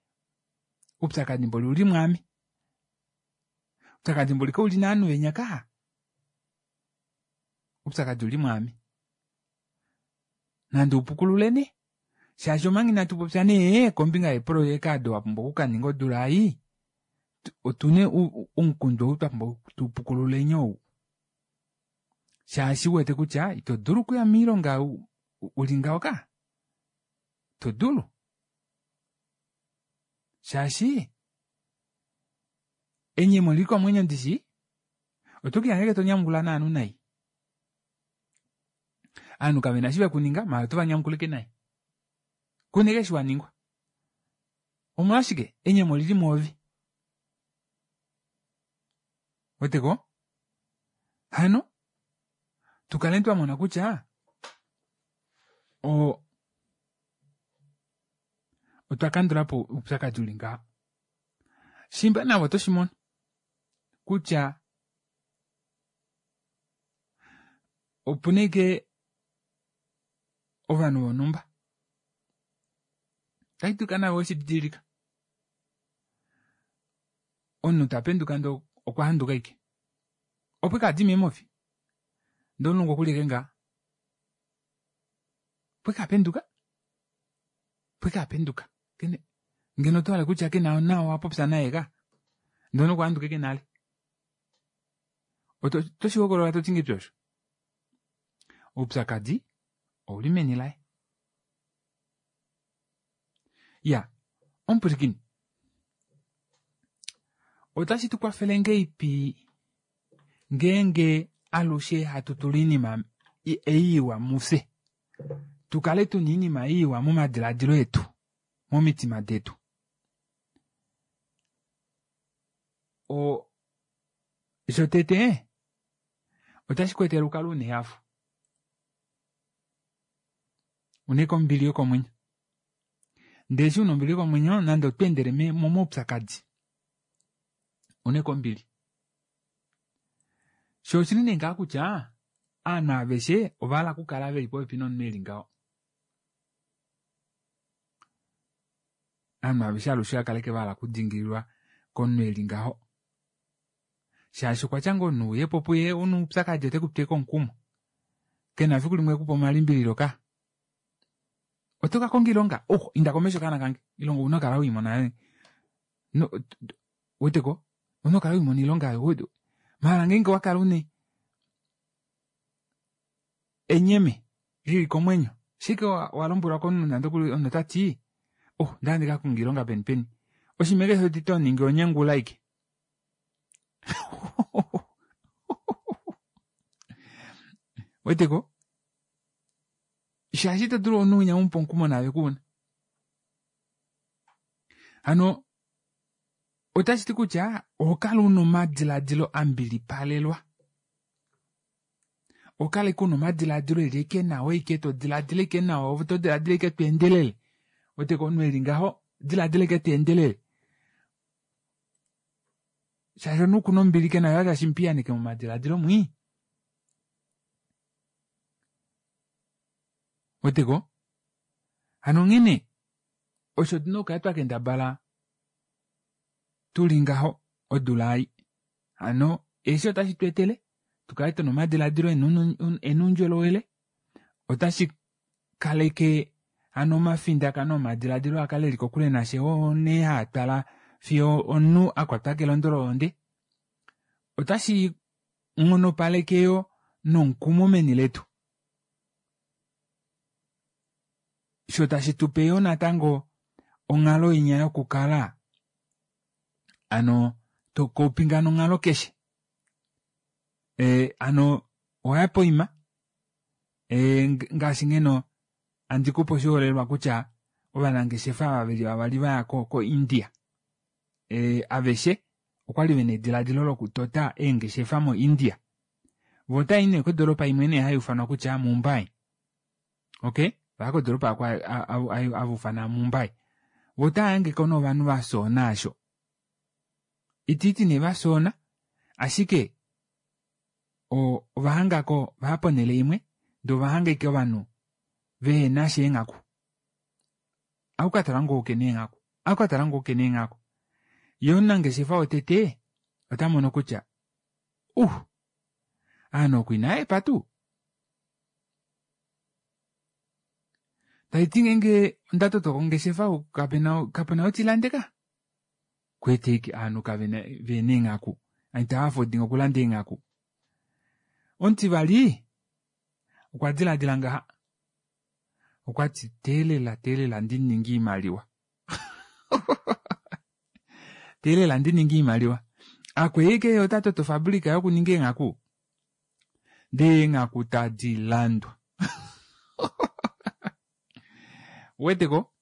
Oupyakadi mboli uli mwaame. Oupyakadi mboli kauli naanhu venya ka. Oupyakadi uli mwaame. Nande upukulule nee. Shaashi omanga inatu popya nee kombinga yeeprojeka ado wa pumbwa okukaninga odula ei, otune omukundu ou twa pumbwa tu pukululeni ou. Shaashi uwete kutya ito dulu okuya moilonga uli ngaho ka. Ito dulu. Shaashi enyemo lili komwenyo ndishi, oto ke ihanga to nyamukula naanhu nai. Aanhu kave na eshi vekuninga, maala oto va nyamukulike nai. Kuna ashike eshi wa ningwa. Omolwashike enyemo lili mwoove? Weteko? Hano, tukale twa mona kutya otwa kandula po oupyakadi uli ngaha. Shimba navo oto shi mono kutya opu na ashike ovanhu vonhumba tashi dulika navo weshi didilika. Omunhu ta penduka ndee okwa handuka ashike. Opo ike adi meemofi. Ndee omulungu okuli ashike ngaha. Opo ike apenduka. Opo ike apenduka. Kene, ngeno oto hala kutya kena nawa wa popya naye ka. Ndee omunhu okwa handuka ashike nale. Oto, oto shi hokolola to ti ngahelipi osho? Oupyakadi ouli meni laye. Ya, omupwilikini. Otashi tu kwafele ngeipi ngeenge alushe hatu tula oinima ei iwa mufye? Tu kale tuna oinima iwa momadiladilo etu, momitima detu. O, shotete, otashi ku etele ukale una ehafo. Una ombili yokomwenyo. Ndele eshi una ombili yokomwenyo, nande oto endele momaupyakadi, una ombili. Sho oshili nee ngaa kutya aanhu aveshe ova hala okukala veli popepi nomunhu eli ngaho. Aanhu aveshe alushe va kale va hala okudingililwa komunhu eli ngaho. Shaashi okwa tya ngoo omunhu uye po puye una oupyakadi ote ku twe omukumo. Kena efiku limwe ekupa omalimbililo ka. Oto ka konga oilonga? Oh, inda komesho kaana kange. Oilonga ouna okukala weimona. No, weteko? Ouna okukala weimona oilonga oyo. Maala ngeenge owa kala une enyeme lili komwenyo, shike wa lombwelwa komunhu nande okuli omunhu ota ti, oh, nda ndi ka konga oilonga peni peni. Oshinima keshe to ningi onyengula ashike. Weteko? Shaashi ito dulu omunhu winya umupe omukumo naave kuuna. Hano otashi ti kutya oho kala una omadiladilo a mbilipalelwa. Oho kala ashike una omadiladilo eli ashike nawa ashike to diladila ashike nawa ove oto diladila ashike to endelele. Weteko omunhu eli ngaho diladila ashike to endelele. Shaashi omunhu kuna ombili ke na tashi mu piyaaneke momadiladilo mwii. Weteko? Hano onghene osho tuna okukala twa kendabala tuli ngaho odula ei. Hano eshi otashi tu etele tukale tuna omadiladilo ena oundjolowele, otashi kaleke hano omafindakano omadiladilo akale eli kokule nashe oo nee haa twala fiyo omunhu a kwatwa kelondo lohonde. Otashi nghonopaleke yo nomukumo meni letu. Sho tashi tupe yo natango onghalo inya yokukala ano tokoupinga nonghalo keshe. Ano owaya poima ngaashi ngeno andi kupe oshiholelwa kutya ovanangeshefa ava veli vavali vaya ko India. Aveshe okwali vena ediladilo lokutota eengeshefa mo India. Vo otai nee kodoropa imwe nee hai ufanwa kutya Mumbai. Okay? Vaya kodoropa ako ava ufana Mumbai. Vo otava hangeko nee ovanhu va soona asho. Itiiti nee va soona, ashike ova hangako vaya ponhele imwe ndee ova hanga ashike ovanhu vehena sha eenghaku. Ohakukatala ngoo kena eenghaku, ohakukatala ngoo kena eenghaku. Ye omunangeshefa wotete ota mono kutya ovanhu oku inaahepa tuu. Taiti ngeenge onda toto ongeshefa kapena otilande ka. Kwete ike ovanhu kavena vena eenghaku. Itava afodinga okulanda eenghaku. Omutivali okwa diladila ngaha. Okwati teelela teelela ndi ninge oimaliwa. Teelela ndi ninge oimaliwa. Akweeke ota toto ofabrika yokuninga eenghaku. Ndee eenghaku tadi landwa. Weteko?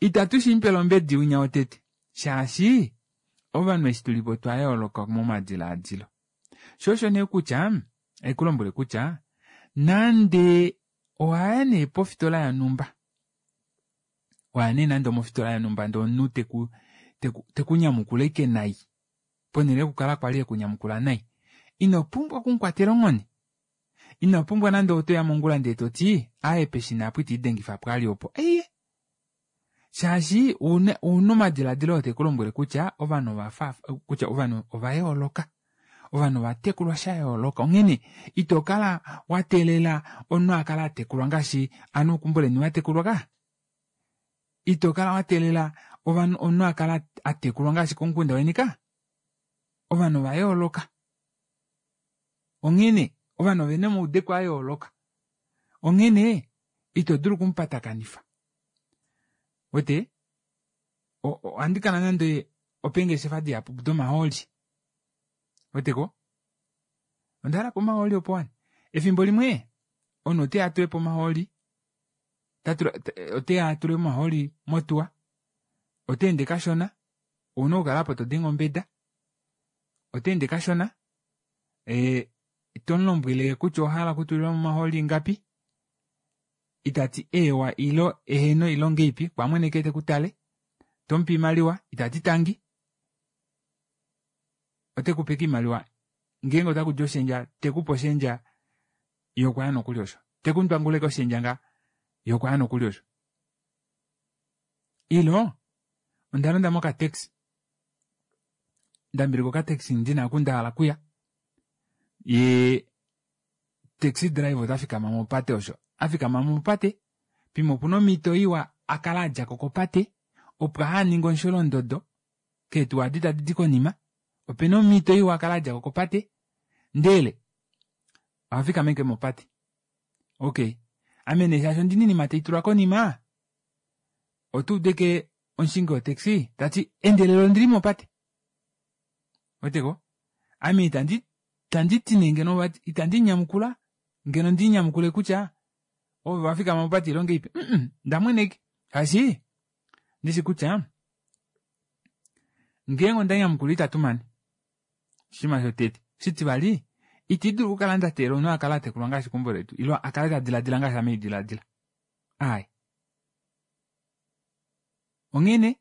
Itatu shi mupele ombedi winya wotete. Shaashi ovanhu eshi tulipo otwa yooloka momadiladilo. Sho osho nee kutya, haikulombwele kutya nande owaya nee pofitola yonhumba, waya nee nande omofitola yonhumba ndee omunhu teku teku nyamukula ashike nai, ponhele yokukala kwali ekunyamukula nai, ino pumbwa okumukwatela onghone. Ino pumbwa nande otoya mongula ndee toti aaye peshina apo itiidengifa pwali opo. Eiye! Shaashi ouna omadiladilo oo teku lombwele kutya ovanhu ovafa kutya ovanhu ova yooloka. Ovanhu ova tekulwa sha yooloka. Onghene ito kala wa teelela omunhu a kala a tekulwa ngaashi ovanhu vokeumbo leni va tekulwa ka. Ito kala wa teelela ovanhu omunhu a kala a tekulwa ngaashi komukunda weni ka. Ovanhu ova yooloka. Onghene ovanhu ovena omaudeko a yooloka. Onghene ito dulu okumupatakanifa. Wete ohandi kala nande opeengeshefa dihapu domahooli. Weteko? Onda hala po omahooli opo wani. Efimbo limwe omunhu oteya atule po omahooli, oteya atule omahooli motuwa, ota ende kashona, ouna okukala apo todenge ombeda, ota ende kashona, tomulombwele kutya owahala okutulilwa mo omahooli ingapi, itati eewa ilo eheno ilo ngeipi, kwamweneke tekutale, tomupe oimaliwa, itati tangi, otekupe ike oimaliwa, ngeenge otakudi oshendja, tekupe oshendja yokwaya nokuli osho. Tekundwanguleke oshendja nga yokwaya nokuli osho. Ilo, onda londa mokataxi, ndambilika okataxi ndina oku ndahala kuya, ye taxi driver ota fikama mopate osho. Afikama mopate, pimwe opuna omhito iwa akala adjako kopate, opo ahaninge omusholondodo keetuwa adi tadi di konima, opena omhito iwa akala adjako kopate, ndele ohafikama ashike mopate. Okay, ame nee shaashi ondina oinima taitulwa konima, oto udu ashike omushingi wotaxi tati endelela ondili mopate. Weteko? Ame itandi tandi ti nee ngeno vati itandi nyamukula. Ngeno ndi nyamukule kutya ove wafikama mopate ile ongeipi. Ndamweneke. Shaashi ndishi kutya ngeenge onda nyamukula itatu mane. Oshinima shotete. Oshitivali, iti dulu okukala nda teelela omunhu a kale a tekulwa ngaashi keumbo letu ile a kale ta diladila ngaashi ame diladila. Aai. Onghene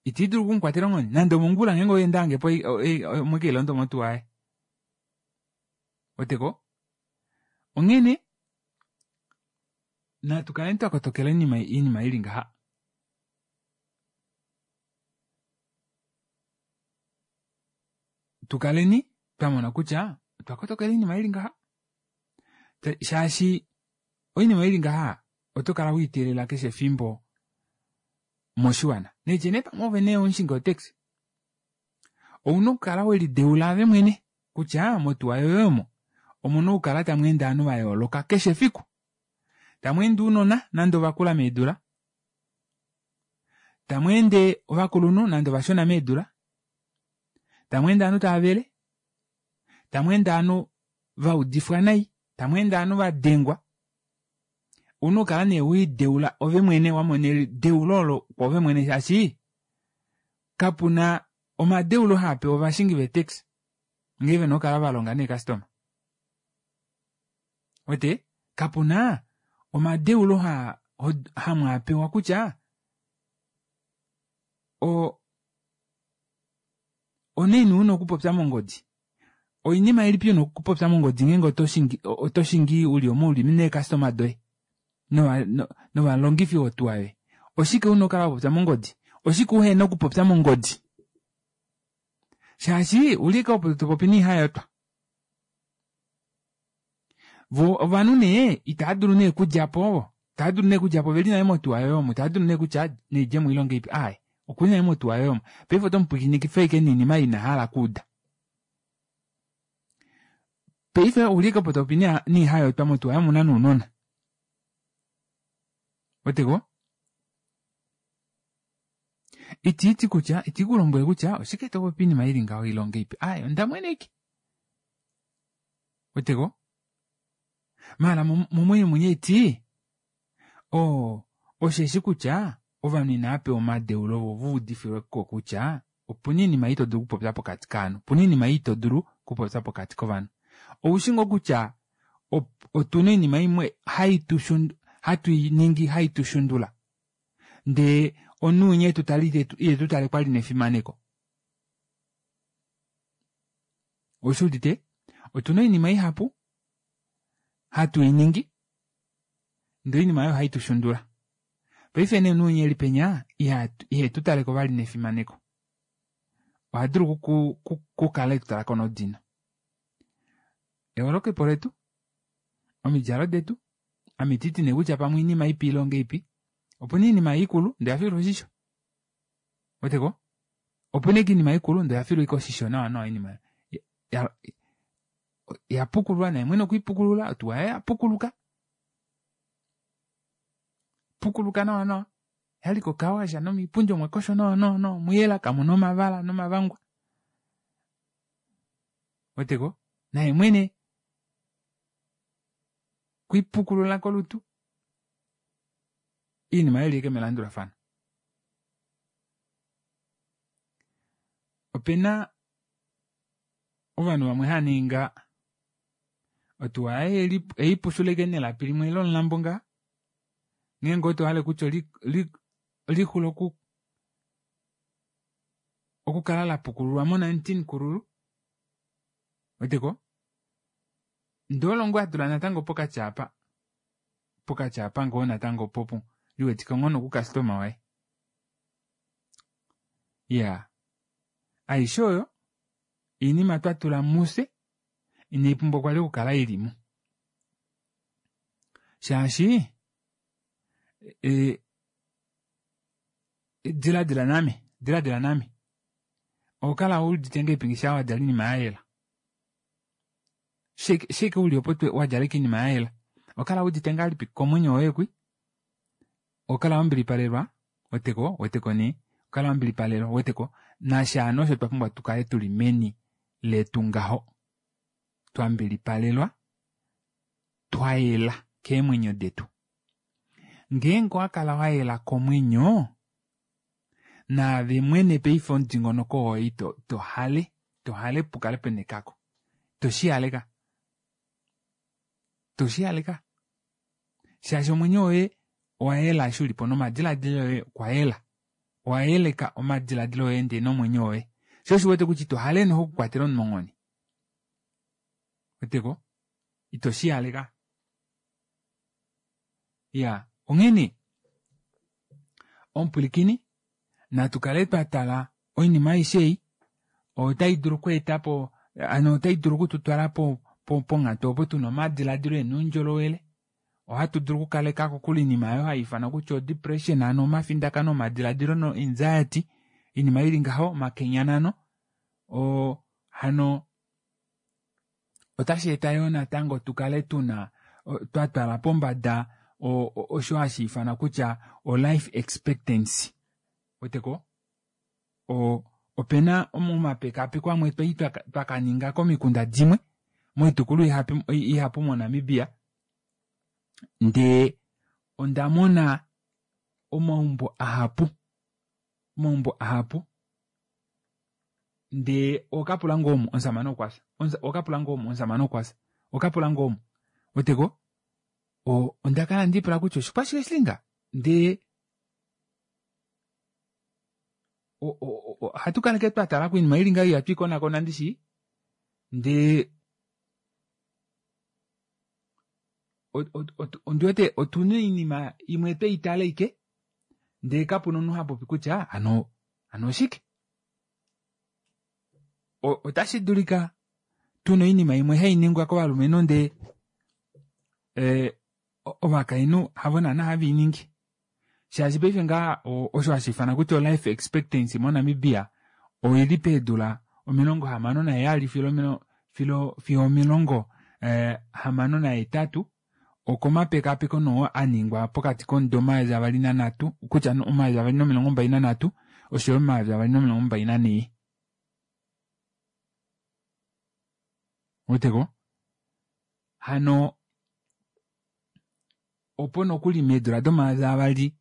iti dulu okumukwatela onghone nande omongula ngeenge oye nda hange po omwe ke ilondo motuwa yaye. Weteko? Onghene natu kaleni twa kotokela oinima ili ngaha. Tu kaleni twa mona kutya otwa kotokela oinima ili ngaha. Shaashi oinima ili ngaha oto kala wiiteelela keshe efimbo moshiwana. Netye nee pamwe ove nee omushingi wotaxi. Ouna okukala welideula ave mwene kutya motuwa yoye omo omuna okukala tamu ende ovanhu va yooloka keshe efiku. Tamu ende ounona nande ovakula meedula, tamu ende ovakulunhu nande ovashona meedula, tamu ende ovanhu tava vele, tamu ende ovanhu va udifwa nai, tamu ende ovanhu va dengwa. Ouna okukala nee weideula ove mwene, wa mona edeulo olo kwoove mwene shaashi kapuna omadeulo haa pewa ovashingi veetaxi ngee vena okukala va longa neekastoma. Wete kapuna omadeulo hamwaapewa kutya onaini una okupopya mongodi. Oinima ilipi una okupopya mongodi ngeenge oto shingi uli omo uli neekastoma doye novalongifi votuwa yoye. Oshike una okukala wapopya mongodi? Oshike uhena okupopya mongodi? Shaashi uli ashike opo topopi noihayotwa. Vo ovanhu nee itava dulu nee okudja po, itava dulu nee okudja po veli nale motuwa yoye omo, itava dulu nee kutya naidjemo ile ongeipi. Aaye, okuli nale motuwa yoye omo. Paife oto mu pwilikinikifa ashike noinima ei ina hala okuuda. Paife ouli ashike opo topopi noihayotwa motuwa yoye omuna nounona. Weteko? Itiiti kutya, iti ku lombwele kutya oshike to popi iinima ili ngaho ile ongeipi. Aaye, onda mweneke. Weteko? Maala momwenyo mwenye eti, oo, osheshi kutya ovanhu inava pewa omadeulo vo va udifilwe ko kutya opuna iinima ito dulu okupopya pokati kovanhu, opuna iinima ito dulu okupopya pokati kovanhu. Oushi ngoo kutya otuna oinima imwe hatu i ningi hai tu shundula. Ndee omunhu winya etu tale ile tu tale kwali nefimaneko. Oushi udite? Otuna oinima ihapu hatu i ningi ndee oinima oyo ohai tu shundula. Paife nee omunhu winya eli penya ihe tu taleko vali nefimaneko. Oha dulu okukala etu talako nodino. Eholokepo letu, omidjalo detu, ame ititi nee kutya pamwe oinima ipi ile ongeipi. Opuna oinima ikulu ndee oyafilwa oshisho. Weteko? Opuna ashike oinima ikulu ndee oyafilwa ashike oshisho nawa nawa oinima yapukululwa naye mwene okwiipukulula otuwa yaye yapukuluka. Pukuluka nawa nawa. Yali kokawasha nomiipundi omwa koshwa nawa nawa nawa omuyela kamuna omavala nomavangwa. Weteko? Naye mwene kwiipukulula kolutu. Iinima ili ashike melandulafano. Opena ovanhu vamwe hava ninga otuwa yaye eipushula ashike nelapi limwe lomulambo ngaa. Ngeenge oto hale kutya lixula okukala lapukululwa mo 19 kululu. Weteko? Ndee olo ngoo atula natango pokati apa. Pokati apa ngoo natango popu liwetike ngoo nokukastoma waye. Iyaa. Aishe oyo oinima twa tula mufye inai pumbwa kwali okukala ilimo. Shaashi diladila name, diladila name. Oho kala udite ngahelipi ngeshi wadjala oinima ya yela? Sheke uli opo wadjala ashike oinima ya yela. Oho kala udite ngahelipi komwenyo woye kwi? Oho kala wambilipalelwa, weteko, weteko nee. Oho kala wambilipalelwa, weteko. Nasha hano osho twa pumbwa tukale tuli meni letu ngaho. Twambilipalelwa. twa yela keemwenyo detu. Ngeenge owa kala wa yela komwenyo, naave mwene paife omudingonoko woye ito to hale to hale pukale pena ekako. To shi haleka. To shi haleka. Shaashi omwenyo woye owa yela eshi ulipo nomadilaadilo oye okwa yela. Owa yeleka omadilaadilo oye ndee nomwenyo woye. Sho osho uwete kutya ito hale noho okukwatela omunhu onghone. Weteko? Ito shi haleka. Iya, onghene omupwilikini natu kale twa tala oinima aishe ei otai dulu okweeta po hano otai dulu okututwala ponghatu opo tuna omadiladilo ena oundjolowele. Ohatu dulu okukaleka kokule oinima oyo hai ifanwa kutya odepression hano omafindakano omadiladilo no anxiety oinima ili ngaho omakenyanano oo hano otashi eta yoo natango tu kale tuna twa twala pombada osho hashi ifanwa kutya o life expectancy. Weteko? Opena omapekapeko amwe twali twa kaninga komikunda dimwe moitukulwa ihapu moNamibia ndee onda mona omaumbo ahapu omaumbo ahapu ndee okapula ngoo omu omusamane okwafya okapula ngoo omu omusamane okwafya okapula ngoo omu weteko onda kala ndipula kutya oshikwashike shilinga ndee ohatu kaleke twa tala koinima ili ngaho ihatu ikonakona ndishi ndee ondi wete otuna oinima imwe twe itala ike ndee kapuna omunhu ha popi kutya hano hano oshike. Otashi dulika tuna oinima imwe hai ningwa kovalumenhu ndee ovakainhu havo naana have i ningi. Shaashi paife ngaa osho hashi ifana kutya o-life expectancy moNamibia oili peedula 67 filo fiyo 68 okomapekapeko noo a ningwa pokati komudo 2003 kutya 2023 oshoyo 2024. Weteko? Hano opo nokuli meedula domayovi avali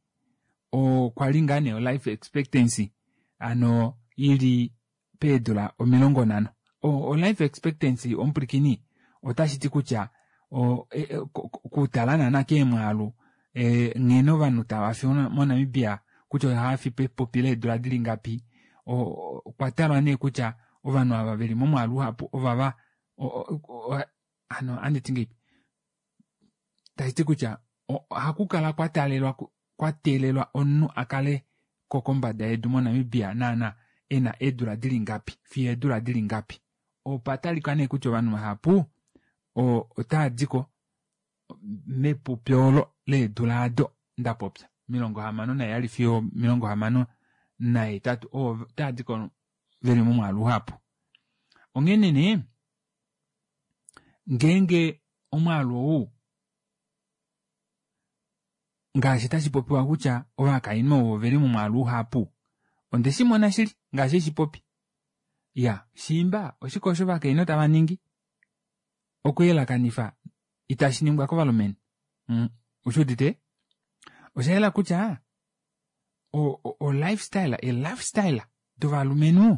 okwa li ngaa nee o-life expectancy ano ili peedula 50. O-life expectancy omupwilikini otashi ti kutya okutala naana keemwaalu nghene ovanhu tava fi moNamibia kutya ohava fi pepupi leedula dili ngapi okwa talwa nee kutya ovanhu ava veli momwaalu uhapu ovava hano anditi ngeipi tashi ti kutya ohaku kala kwa talelwa kwa teelelwa omunhu a kale ko kombada yedu moNamibia naana ena eedula dili ngapi fiyo eedula dili ngapi. Opa talika nee kutya ovanhu vahapu otava diko mepupi olo leedula ado nda popya 67 fiyo 68 otava diko veli momwaalu uhapu. Onghene nee ngeenge omwaalu ou ngaashi tashi popiwa kutya ovakainhu ovo veli momwaalu uhapu onde shi mona shili ngaashi eshi popi. Ya shiimba oshike osho ovakainhu tava ningi okuyelakanifa itashi ningwa kovalumenhu. Ushi udite? Osha yela kutya o lifestyle, e lifestyle dovalumenhu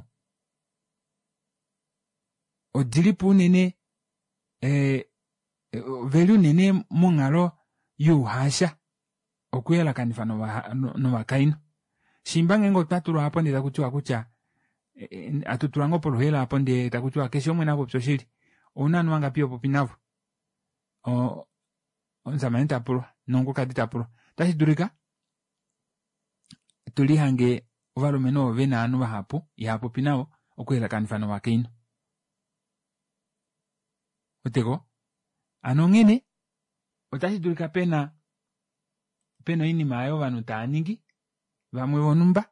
odilipo unene veli unene monghalo youhasha okuyelakanifa novakainhu. Shimba ngeenge otwa tulwa apo ndee takutiwa kutya atu tulwa ngoo poluheela apo ndee takutiwa keshe umwe napopya oshili. Ouna ovanhu vangapi hopopi navo? Omusamane tapulwa nomukulukadi tapulwa. Otashi dulika tulihange ovalumenhu ovo vena ovanhu vahapu ihapopi navo okuyelakanifa novakainhu. Weteko? Hano onghene otashi dulika pena oinima oyo ovanhu tava ningi vamwe vonhumba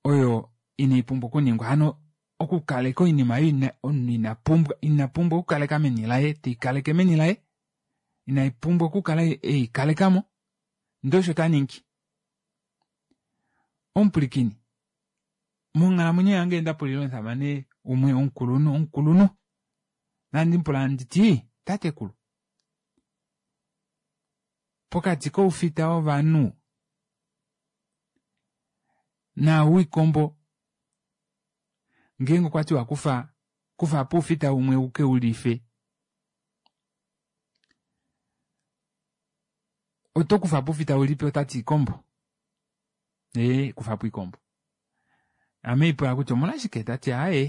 oyo inai pumbwa okuningwa. Hano okukaleka oinima oyo omunhu ina pumbwa ina pumbwa okukaleka meni laye teikaleke meni laye inai pumbwa okukala eikalekamo ndee osho ta ningi. Omupwilikini monghalamwenyo yange onda pulile omusamane umwe omukulunhu omukulunhu nandi mupula nditi Tatekulu, pokati koufita wovanhu naau wiikombo ngeenge okwa tiwa kufa kufa po oufita umwe u ke u life oto kufa po oufita ulipi otati iikombo ee kufa po iikombo ame ipula kutya omolwashike tati aaye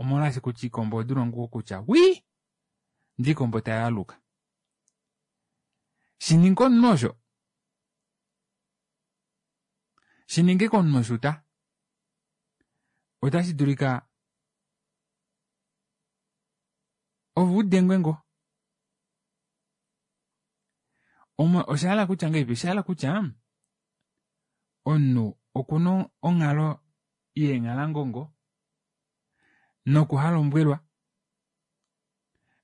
omolwaashi kutya iikombo odula ngoo kutya wii ndee iikombo tayaluka shininga omunhu osho shininge komunhu osho ta otashi dulika ove udengwe ngoo osha hala kutya ngahelipi osha hala kutya omunhu okuna onghalo yeenghalangongo nokuhalombwelwa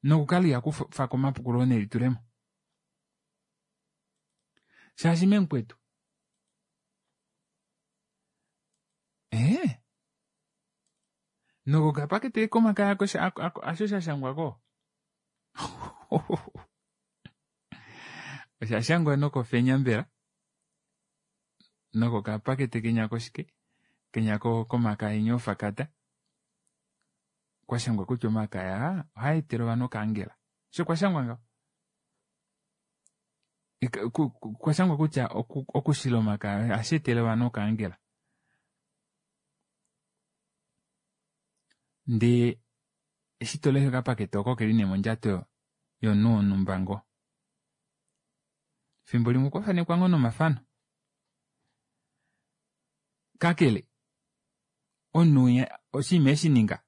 nokukala iha kufa omapukululo nelitulemo shaashi memukwetu ee nokokapakete komakaya asho shashangwako osha shangwa nokofenya mbela nokokapakete kenya koshike kenya komakaya ofakata kwashangwa kutya omakaya ohaa etele ovanhu okaangela osho kwashangwa ngaho kwashangwa kutya okushila omakaya ohashi etele ovanhu okaangela ndee eshi tolesha okapakete oko keli nee mondjato yomunhu wonhumba ngoo fimbo limwe okwa fanekwa ngoo nomafano kakele omunhu oshinima eshininga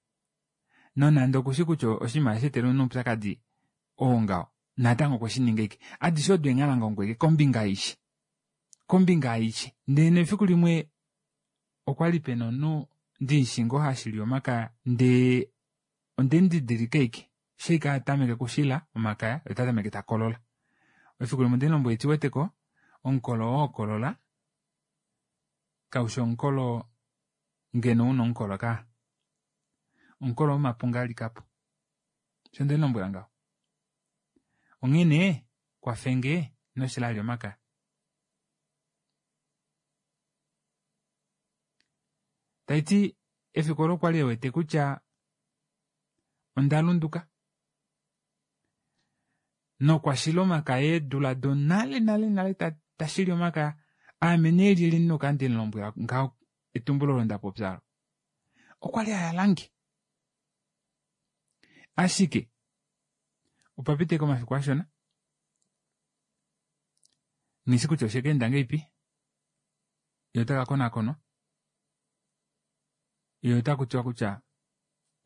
nonande okushi kutya oshinima ohashi etele omunhu oupyakadi oo ngaho natango okwe shininga ashike adishe odo eenghalangongo ashike kombinga aishe kombinga aishe ndee nefiku limwe okwali pena omunhu ndimushi ngoo hashili omakaya ndee ondemudidilika ashike eshi ashike atameke okushila omakaya ye ota tameke takolola efiku limwe ondemulombwela hati ouweteko omukolo oo hokolola kaushi omukolo ngeno una omukolo kaa omukolo womapunga alikapo osho ndemulombwela ngaho onghee nee kwafenge inoshila vali omakaya taiti efiku olo okwali ewete kutya onda lunduka nokwa shila omakaya eedula donale nale nale tashili omakaya aame nee lyelye ndina okukala ndemulombwela ngaho etumbulo olo ndapopya olo okwali ayalange ashike opa pita ashike omafiku ashona nghishi kutya oshekeenda ngahelipi ye otaka konakonwa ye otakutiwa kutya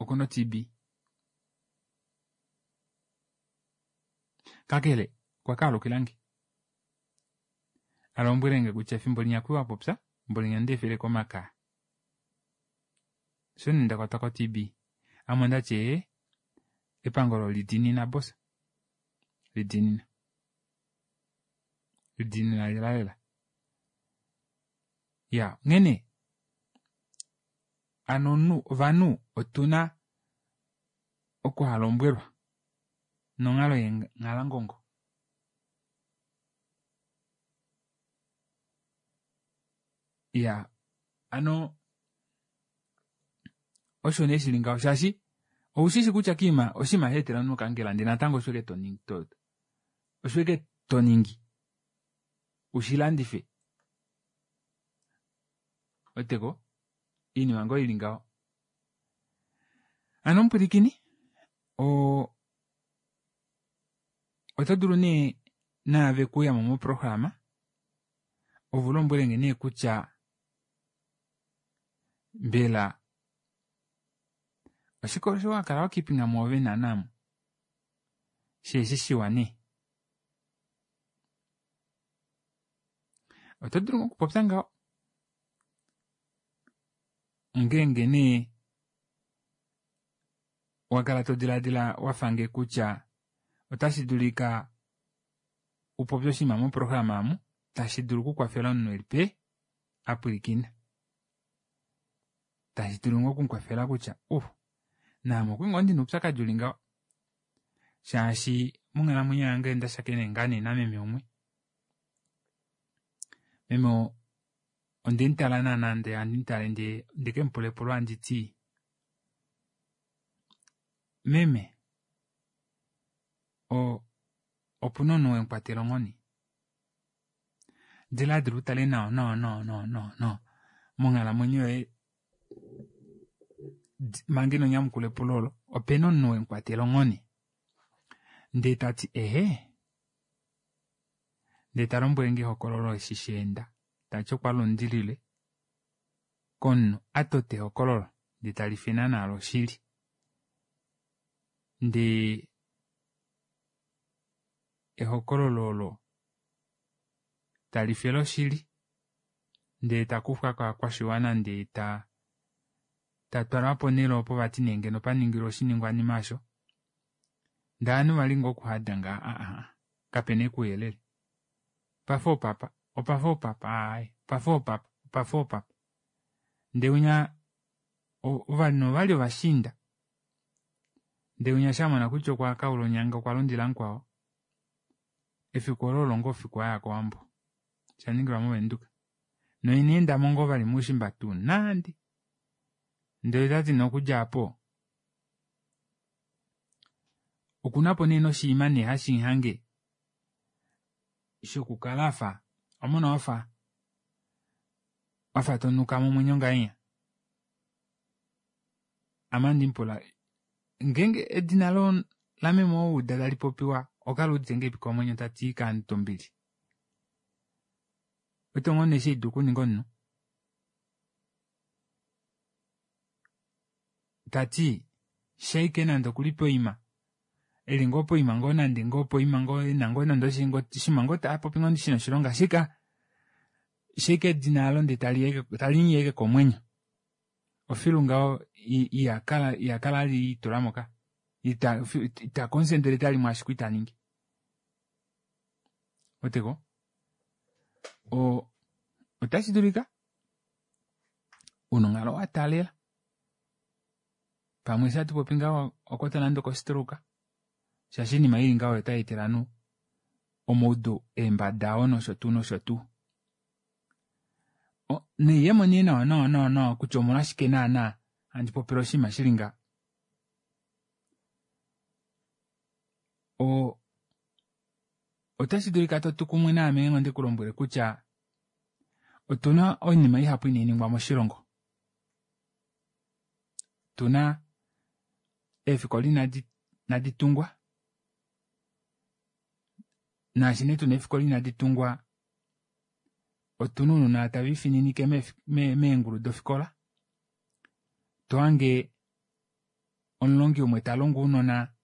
okuna o-T_B kakele okwa kaalukilange alombwelenge kutya efimbo linya kwali wapopya efimbo linya ondeefeleko omakaya osho nee ndakwatwa ko-T_B ame ondati ee epango olo lidiinina boss lidiinina lidiinina lela lela iya onghene hano ovanhu otuna okuhalombwelwa nonghalo yeenghalangongo iya hano osho nee shili ngaho shaashi oushishi kutya kiima oshinima hashi etele omunhu okankela ndee natango osho ashike osho ashike toningi ushilandife ouweteko oinima ngoo ili ngaho hano omupwilikini oto dulu nee naave okuyamo moprograma ove ulombwelenge nee kutya mbela oshike osho wakala wakipinga mwoove naana sheeshi shiwa nee oto dulu okupopya ngaho ngeenge nee wakala todilaadila wafange kutya otashi dulika upopye oshinima moprograma omu tashi dulu okukwafela omunhu elipe apwilikina tashi dulu ngoo okumukwafela kutya naame okwali ngoo ndina oupyakadi uli ngaho. Shaashi monghalamwenyo yange onda shakene ngaa nee nameme umwe. Meme oo ondemutala naana ndee handi mutale ndee ndekemupula epulo handiti meme opuna omunhu wemukwatela onghone? Dilaadila utale nawa nawa nawa nawa nawa nawa monghalamwenyo yoye manga ino nyamukula epulo olo opena omunhu wemukwatela onghone? Ndee tati ehee ndee talombwelenge ehokololo eshi shaenda tati okwa lundilile komunhu atota ehokololo ndee talife naana loshili ndee ehokololo olo talife loshili ndee takufwa kovakwashiwana ndee ta tatwalwa ponele opo vati nee ngeno paningilwa oshiningwanima aasho ndee ovanhu vali ngoo okuhada ngaha aa kapena ashike ouyelele opafa opapa opafa opapa aaye opafa opapa opafa opapa ndee winya ovanhu ovali ovashiinda ndee winya eshi amona kutya okwa kaula onyanga okwa lundila mukwao efiku olo olo ngoo efiku aya kowambo oshaningilwa movenduka noina endamo ngoo vali moushimba tuu nande ndee otati nee okudja aapo okunapo nee noshinima nee hashimuhange shokukala afa owamona wafa wafa tonuka momwenyo ngahenya ame handimupula ngeenge edina lameme oo wauda tali popiwa ohokala wuudite ngahelipi komwenyo tati kaantu ombili ouwete ngoo nee eshi haidulu okuninga omunhu tati shaike nande okuli poima eli ngoo poima ngoo nande ngoo poima ngoo ena ngoo nande oshinima ngoo taapopi ngoo shina oshilonga ashike shaike edina aalo ndee talimuyi ashike komwenyo ofilu ngaho ihakala vali elitulamo kaya ita concentrate vali mwaashi kwali taningi ouweteko oo otashi dulika una onghalo wataalela pamwe eshi hatupopi ngaha owakwatwa nande oko stroke shaashi oinima ili ngaho oyo tayeetele ovanhu omaudu eembada oo nosho tuu nosho tuu. Noiyemo nee nawa nawa nawa nawa kutya omolwashike naana handi popile oshinima shili ngaha. Otashi dulika totu kumwe naame ngeenge onde kulombwele kutya otuna oinima ihapu inainingwa moshilongo. Otuna eefikola inadi tungwa naashi nee tuna eefikola inadi tungwa otuna ounona taviifininike meengulu dofikola tohange omulongi umwe talongo ounona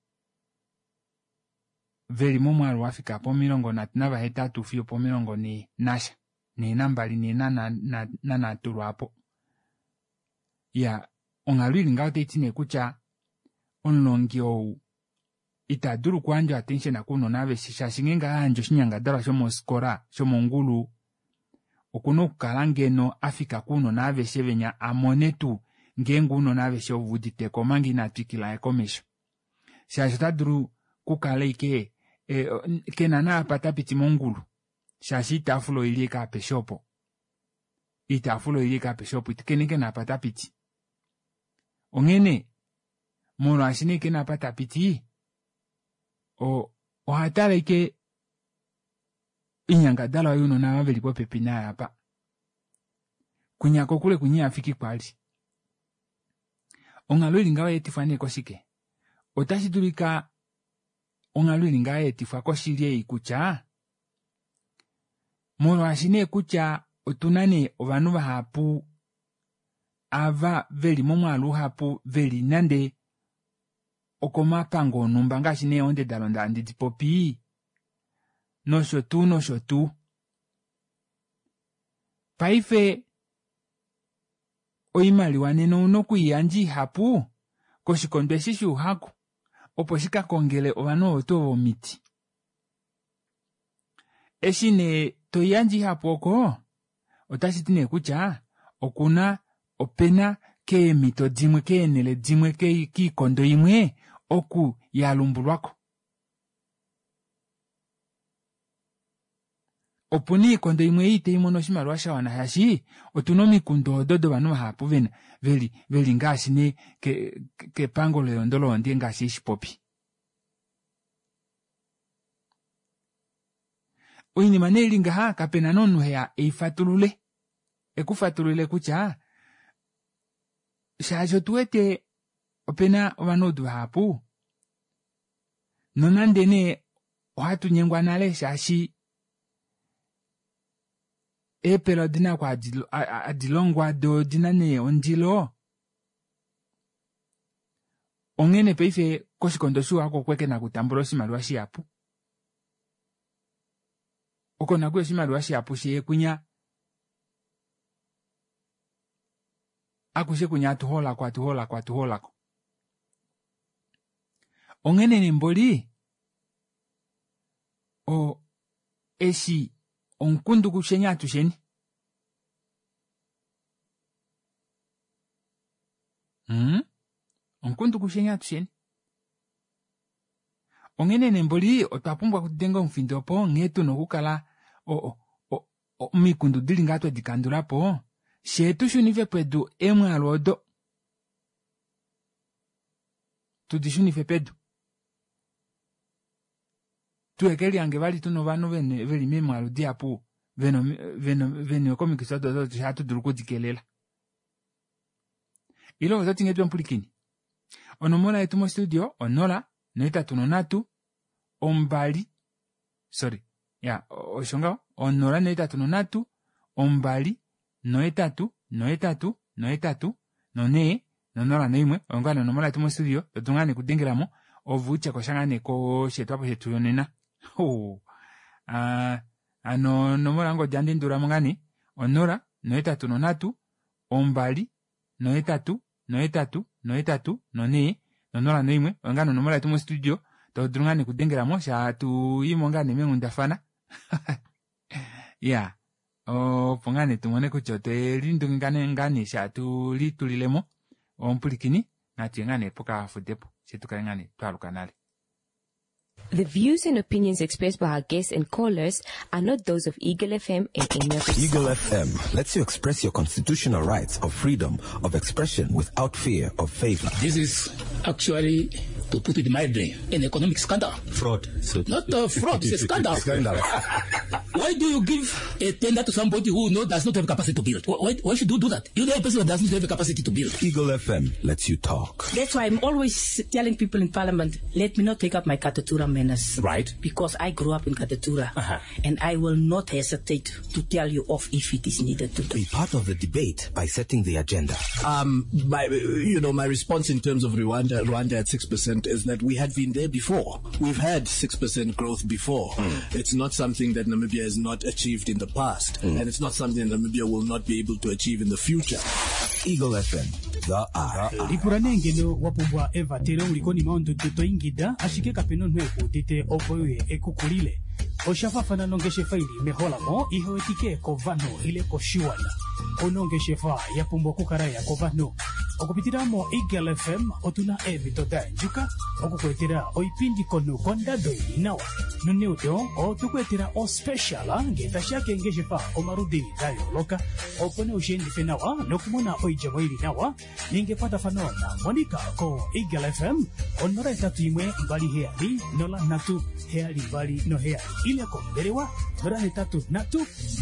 veli momwaalu wafika pomilongo nhatu navahetatu fiyo opomilongo nhee nasha nhee nambali nhee nanhatu lwaapo. Iyaa onghalo ili ngaho otaiti nee kutya omulongi ou ita dulu okuyandja attention kounona aveshe shaashi ngeenge ayandje oshinyangadalwa shomofikola shomongulu okuna okukala ngeno afika kounona aveshe venya amone tuu ngeenge ounona aveshe oveuditeko omanga ina twikila komesho shaashi ota dulu okukala ashike kena naapa tapiti mongulu shaashi oitaafula oili ashike apeshe opo oitaafula oili ashike apeshe opo kena ashike naapa tapiti onghene molwaashi nee kena apa tapiti ohatale ashike oinyangadalwa younona ava veli popepi naye apa kwinya kokule kwinya ihafiki kwali onghalo ili ngaho oyaetifwa nee koshike otashi dulika onghalo ili ngaho yaetifwa koshili ei kutya molwaashi nee kutya otuna nee ovanhu vahapu ava veli momwaalu uhapu veli nande okomapango onhumba ngaashi nee onde dalonda handi dipopi nosho tuu nosho tuu paife oimaliwa nena ouna okwiiyandja ihapu koshikondo eshi shouhaku opo shikakongele ovanhu ovo tuu ovo omiti eshi nee toiyandje ihapu oko otashi ti nee kutya okuna opena keemhito dimwe keenhele dimwe koikondo imwe oku yalumbulwako. Opuna oikondo imwe ei itai mono oshimaliwa sha wana shaashi otuna omikundu odo dovanhu vahapu vena veli veli ngaashi nee ke kepango leyondo lohonde ngaashi eshipopi. Oinima nee ili ngaha kapena nee omunhu heya eifatulule ekufatulule kutya shaashi otu wete opena ovanaudu vahapu nonande nee ohatu nyengwa nale shaashi eepela odina oku hadi longwa doo odina nee ondilo onghene paife koshikondo shouhaku okwe kena okutambula oshimaliwa shihapu oko nakuya oshimaliwa shihapu shee kwinya akushe kwinya atuhoolako atuhoolako atuhoolako onghene nee mboli o eshi omukundu kusheni atusheni hmm? Omukundu kusheni atusheni onghene nee mboli otwa pumbwa okudenga omufindo opo nghee tuna okukala omikundu dili ngaa twedi kandula po shee tu shunife pedu emwaalu odo tudi shunife pedu tuheke lihange vali tuna ovanhu veli meemwaalu dihapu veniwe komikifi odo odo hatu dulu okudikelela ile oto ti nghee mupulikini onomola yetu mostudio onola nohetatu nonhatu ombali sorry ya osho ngaho onola nohetatu nonhatu ombali nohetatu nohetatu nohetatu nonhee nonola noimwe oyo ngaa nonomola yetu mostudio totu ngaa nekudengelamo ove utye kosha ngaa nee kosheetwapo shetu yonena hano onomola yongodi ohandi ndulamo ngaa nee onola nohetatu nonhatu ombali nohetatu nohetatu nohetatu nonhee nonola noimwe oyo ngaa nonomola yetu mostudio to dulu ngaa nekudengelamo sha tuimo ngaa nee meenghundafana ya opo ngaa nee tumone kutya otwe lindungika ngaa nee sha tu litulilemo omupulikini natuye ngaa nee pokafudepo fye tukale ngaa nee twaaluka nale. The views and opinions expressed by our guests and callers are not those of Eagle FM and any of its Eagle FM lets you express your constitutional rights of freedom of expression without fear of favor. This is actually, to put it mildly, an economic scandal. Fraud. So Not a fraud, it's a scandal. Scandal. Why do you give a tender to somebody who does not have capacity to build? Why should you do that? You know a person who does not have capacity to build. Eagle FM lets you talk. That's why I'm always telling people in Parliament, let me not take up my Katutura manners. Right. Because I grew up in Katutura. Uh-huh. And I will not hesitate to tell you off if it is needed to. Be part of the debate by setting the agenda. My response in terms of Rwanda at 6% is that we had been there before. We've had 6% growth before. Mm. It's not something that Namibia has not achieved in the past. Mm. And it's not something that Namibia will not be able to achieve in the future. Eagle FM, the eye. Lipula nee ngeno wa pumbwa evatelo uli konima yondudu to ingida ashike kapena omunhu ekuudite opo uye ekukulile. Osha fafana nongeshefa ili meholamo ihe wetike kovanhu ile koshiwana. Kuna ongeshefa ya pumbwa okukala ya kovanhu. Okupitila mo Eagle FM otuna eemhito da yandjuka okukuetela oipindi komunhu kondado ili nawa. Noneudo otukuetela ospecial ngee tashiya keengeshefa omaludi da yooloka opo nee ushiendife nawa nokumona oidjemo ili nawa. Ninga ekwatafano na Monica ko Eagle FM 081 27 03 72 7 ile kombelewa 083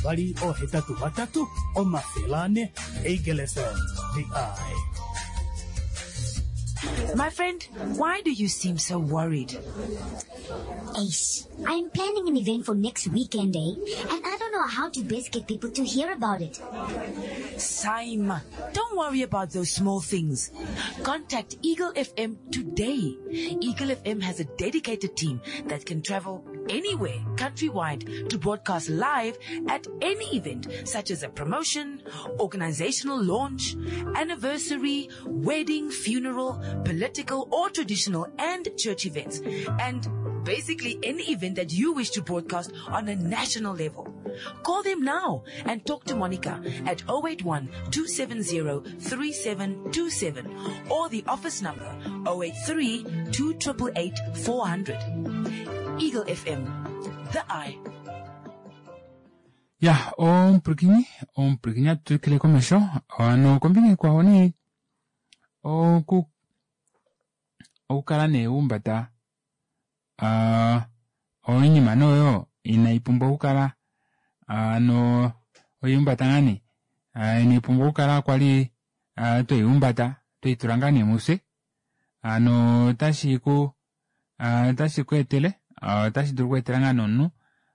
283 400. Eagle FM, the eye. My friend, why do you seem so worried? Ace, I'm planning an event for next weekend, eh? And I don't know how to best get people to hear about it. Saima, don't worry about those small things. Contact Eagle FM today. Eagle FM has a dedicated team that can travel anywhere, countrywide, to broadcast live at any event, such as a promotion, organizational launch, anniversary, wedding, funeral, political or traditional and church events, and basically any event that you wish to broadcast on a national level. Call them now and talk to Monica at 081-270-3727 or the office number 083-2888-400. Eagle FM, the eye. Ya omupwilikini omupwilikini atu twikile komesho hano kombinga ikwao nee oku okukala nee waumbata oinima nee oyo inaipumbwa okukala hano oihumbata ngaa nee inaipumbwa okukala kwali tweihumbata tweitula ngaa nee mufye hano otashi ku otashi ku etele otashi dulu okweetela ngaa nee omunhu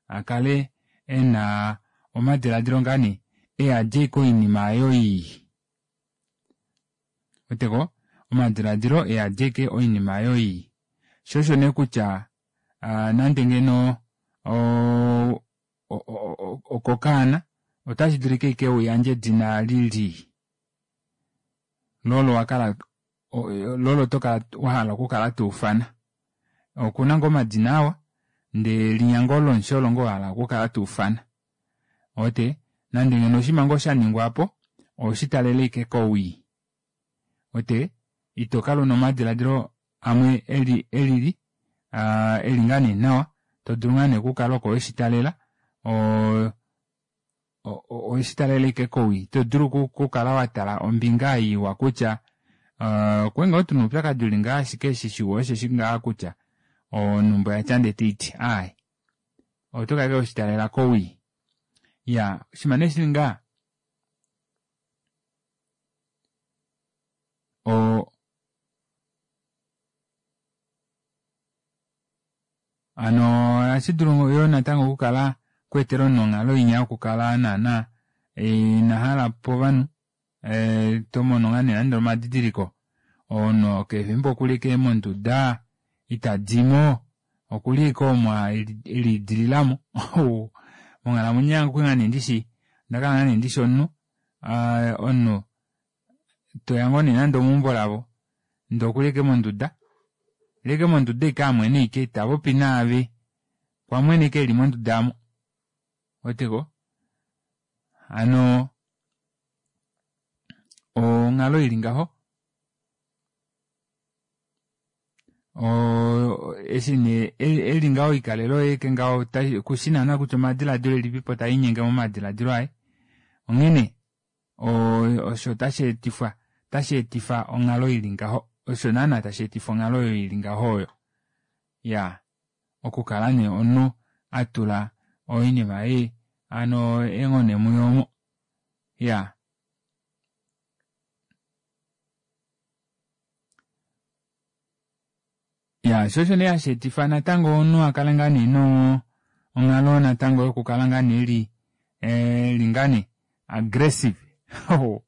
akale ena omadilaadilo ngaa nee eyadi ashike oinima aayo ii. Weteko? Omadilaadilo eyadi ashike oinima aayo ii. Sho osho nee kutya nande ngeno okokaana otashi dulika ashike uyandje edina lili lolo wakala lolo tokala wahala okukala tuufana. Okuna ngoo omadina awa ndee linya ngoo lomushe olo ngoo wahala okukala tuufana. Ouwete? Nande ngeno oshinima ngoo shaningwa aapo oweshitalele ashike kowii. Ouwete? Ito kala una omadilaadilo amwe eli elili eli ngaa nee nawa todulu ngaa nee okukala oko weshitalela oo oweshitalela ashike kowii. Ito dulu okukala watala ombinga ei iwa kutya okwali ngoo tuna oupyakadi uli ngaha ashike eshi shiwa osheshi ngaha kutya onhumba oyatya ndee taiti aaye. Oto kala ashike weshitalela kowii. Iyaa oshinima nee shili ngaha o hano ohashi dulu yoo natango okukala kweetela omunhu onghalo inya yokukala naana ina hala povanhu tomono ngaa nee nande omadidiliko omunhu keshe efimbo okuli ashike monduda itadimo okuli ashike omo eliidililamo monghalamwenyo yange okwali ngaa nee ndishi ondakala ngaa nee ndishi omunhu omunhu toya ngoo nee nande omeumbo lavo ndee okuli ashike monduda eli ashike monduda ashike amwene ashike itapopi naave okwamwena ashike eli monduda aamo ouweteko hano onghalo ili ngaho eshi nee eli ngaho oikalele oye aike ngaho kushi naana kutya omadilaadilo elipipo taalinyenge momadilaadilo aye onghene osho tashi etifwa otashi etifa onghalo ili ngaho osho naana tashi etifa onghalo oyo ili ngaho oyo iyaa okukala nee omunhu atula oinima ei hano eenghone muye omo iyaa. Ya sho osho nee hashi etifa natango omunhu a kale ngaa nee nonghalo natango yokukala ngaa nee eli eli ngaa nee aggressive omunhu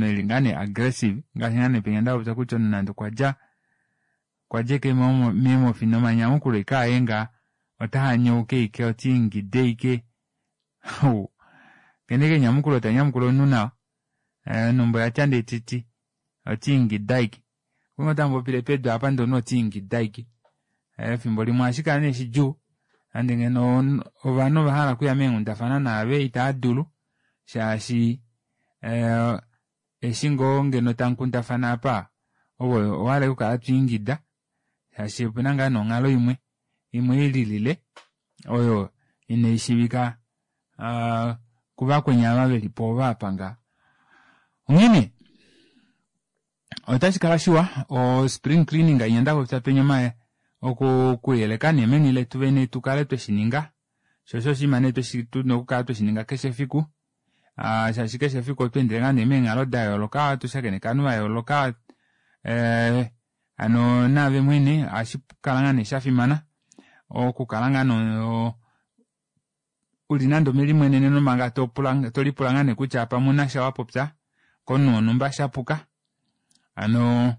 eli ngaa nee aggressive ngaashi ngaa nee penya ndapopya kutya omunhu nande okwa dja okwa dja ashike meemofi nomanyamukulo ashike aye ngaa ota hanyauka ashike ota ingida ashike Kene ashike enyamukulo ta nyamukula omunhu nawa onhumba oyatya ndee titi ota ingida ashike. Okwali ngoo tamupopile pedu apa ndee omunhu ota ingida ashike. Efimbo limwe ohashi kala nee shidjuu nande ngeno ovanhu ova hala okuya meenghundafana naave itava dulu shaashi eshi ngoo ngeno tamukundafana apa ove owa hala ashike okukala to ingida shaashi opena ngaa nee onghalo imwe imwe ililile oyo inai shiivika kuvakweni ava veli po ova apa nga. Onghene otashi kala shiwa o spring cleaning inya ndapopya penya omaye okuyeleka nee meni letu vene tukale tweshininga sho osho oshinima nee tuna okukala tweshininga keshe efiku shaashi keshe efiku otwa endele ngaa nee meenghalo dayooloka ohatu shakeneke ovanhu vayooloka hano naave mwene ohashi kala ngaa nee shafimana okukala ngaa nee uli nande omelimweneneno manga topula tolipula ngaa nee kutya pamwe ouna sha wapopya komunhu wonhumba shapuka hano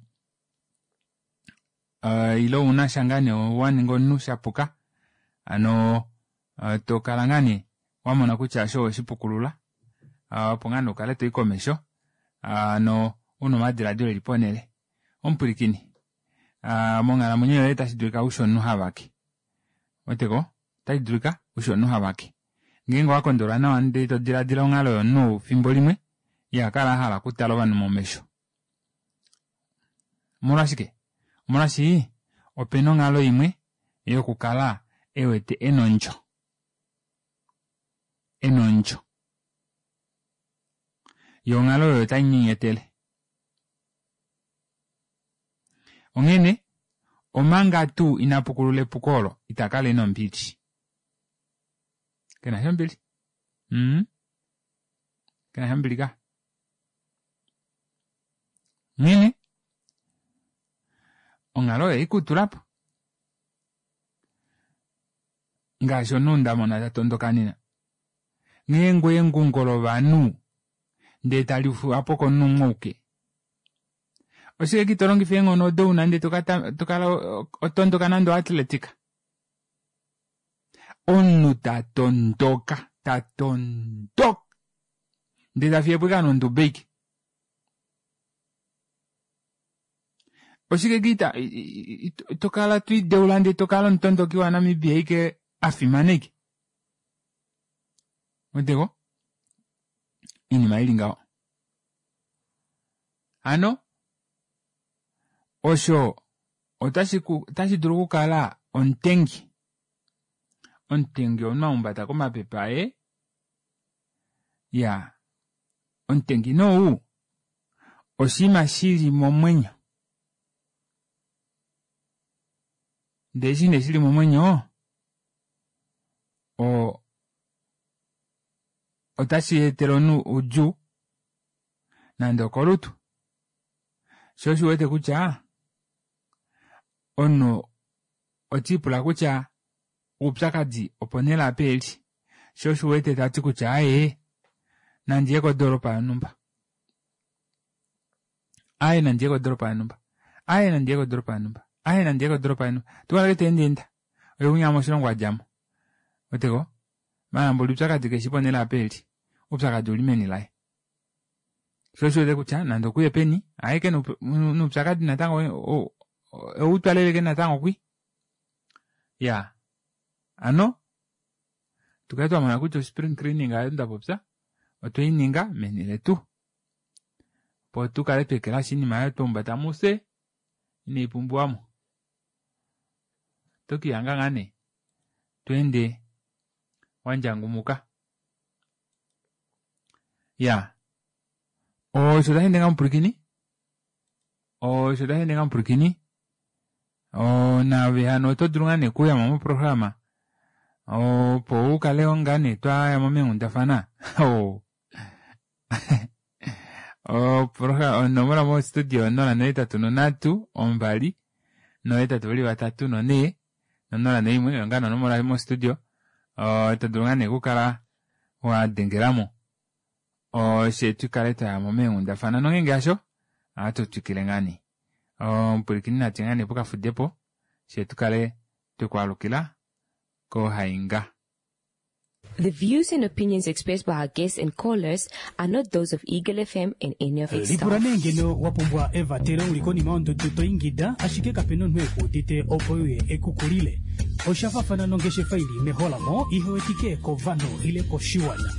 ile ouna sha ngaa nee waninga omunhu shapuka hano tokala ngaa nee wamona kutya osho oweshipukulula opo ngaa nee ukale toyi komesho hano una omadilaadilo eli ponele. Omupwilikini monghalamwenyo yoye otashi dulika ushi omunhu havake ouweteko otashi dulika ushi omunhu havake ngeenge owa kondolwa nawa ndee to dilaadila onghalo yomunhu ou fimbo limwe iha kala ahala okutala ovanhu momesho. Omolwashike? Omolwaashi opena onghalo imwe yokukala e wete ena ondjo. ondjo. Yo onghalo oyo otai nyenyetele. Onghene, omanga tuu ina pukulula epuko olo, ita kala e na ombili. Ke na sha ombili. Mm. Ke na sha ombili ka. Onghene, onghalo oyo ikutula po. Ngaashi omunhu nda mona ta tondoka nena. Nghee ngoo engungo lovanhu ndee tali fuwa po komunhu umwe auke. Oshike ki to longifa eenghono odo una ndee tokala otondoka nande oatletica? Omunhu ta tondoka, ta tondoka ndee ta fiye po ashike nonduba aike. Oshike ki to kala to ideula ndee to kala omutondoki waNamibia aike a fimana aike? Weteko? Iinima ili ngaho. Hano osho otashi dulu okukala omutengi. Omutengi omunhu a humbata komapepe aye. Ya, omutengi nee ou oshinima shi li momwenyo. Ndele eshi nee shi li momwenyo, o otashi etele omunhu oudjuu nande okolutu. Sho osho u wete kutya omunhu oti ipula kutya oupyakadi oponhele apa eli. Sho osho u wete ta ti kutya aaye nandi ye kodoolopa yonhumba. Aaye nandi ye kodoolopa yonhumba. Aaye nandi ye kodoolopa yonhumba. Aaye nandi ye kodoolopa yonhumba. Tukala ke teendeenda. Oye winya moshilongo a dja mo. Weteko? Maala mboli oupyakadi keshi ponhele apa eli. Oupyakadi ouli meni laye. Sho osho wete kutya nande okuye peni, aye ke noupyakadi natango eu twaleleke natango kwi. Ya. Ano, tukale twa mona kutya ospring cleaning ayo nda popya, otwe i ninga meni letu. Opo tu kale twa ekelashi oinima ayo twa humbata mufye, inai pumbiwa mo. Oto ke lihanga ngaa nee to ende wa ndjangumuka. Ya. Osho tashi ende ngaa mupwilikini. Osho tashi ende ngaa mupwilikini. Naave hano oto dulu ngaa nee okuuya mo moprograma opo u kale ngaa nee twa ya mo meenghundafana. Onomola mo studio 083 2 823 4 001 oyo ngaa onomola mo studio. To dulu ngaa nee okukala wa dengelamo oshe tu kale twa ya mo meenghundafana nongeenge hasho ohatu twikile ngaa nee. Omupwilikini nati ngaa nee pokafudepo she tu kale twekwaalukila kohainga. The views and opinions expressed by our guests and callers are not those of Eagle FM and any of its Lipula staff. nee ngeno wa pumbwa evatelo uli konima yondudu to ingida ashike kape na omunhu e ku udite opo e uye e ku kulile. Osha faafana nongeshefa i li meholamo ihe wetike kovanhu ile koshiwana.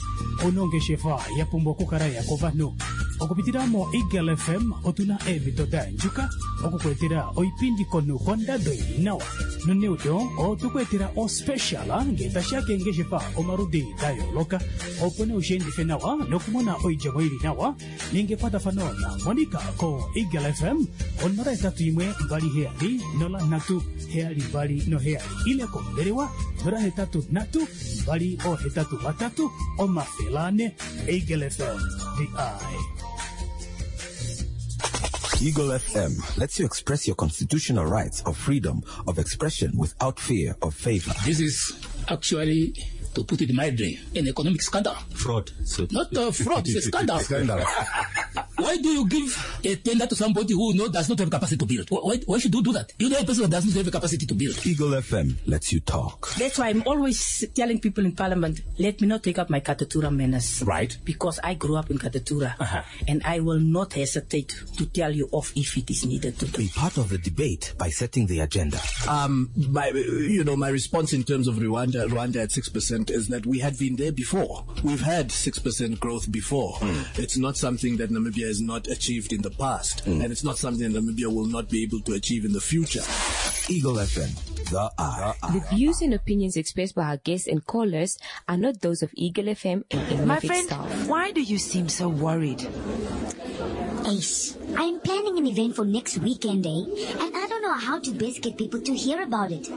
Ou na ongeshefa ya pumbwa okukala ya kovanhu. Okupitila moEagle FM otu na eemhito da yandjuka oku ku etela oipindi komunhu kondado i li nawa. Noneudo otwe ku etela ospecial ngee tashi ya keengeshefa omaludi da yooloka. Opo nee ushi endife nawa nokumona oidjemo i li nawa, ninga ekwatafano naMonica koEagle FM 081 27 03 72 ile kombelewa 083 283 400. Eagle FM, the eye. Eagle FM lets you express your constitutional rights of freedom of expression without fear of favor. This is actually, to put it mildly, an economic scandal. Fraud. So Not a fraud, it's a scandal. Scandal. Why do you give a tender to somebody who does not have capacity to build? Why should you do that? You know a person that does not have capacity to build. Eagle FM lets you talk. That's why I'm always telling people in Parliament, let me not take up my Katutura manners. Right. Because I grew up in Katutura. Uh-huh. And I will not hesitate to tell you off if it is needed to do. Be part of the debate by setting the agenda. My response in terms of Rwanda at 6% is that we had been there before. We've had 6% growth before. It's not something that Namibia has not achieved in the past. And it's not something that Namibia will not be able to achieve in the future. Eagle FM, the eye. The views and opinions expressed by our guests and callers are not those of Eagle FM and any My of its friend, staff. why do you seem so worried? Ace, I'm planning an event for next weekend, eh? And I don't know how to best get people to hear about it.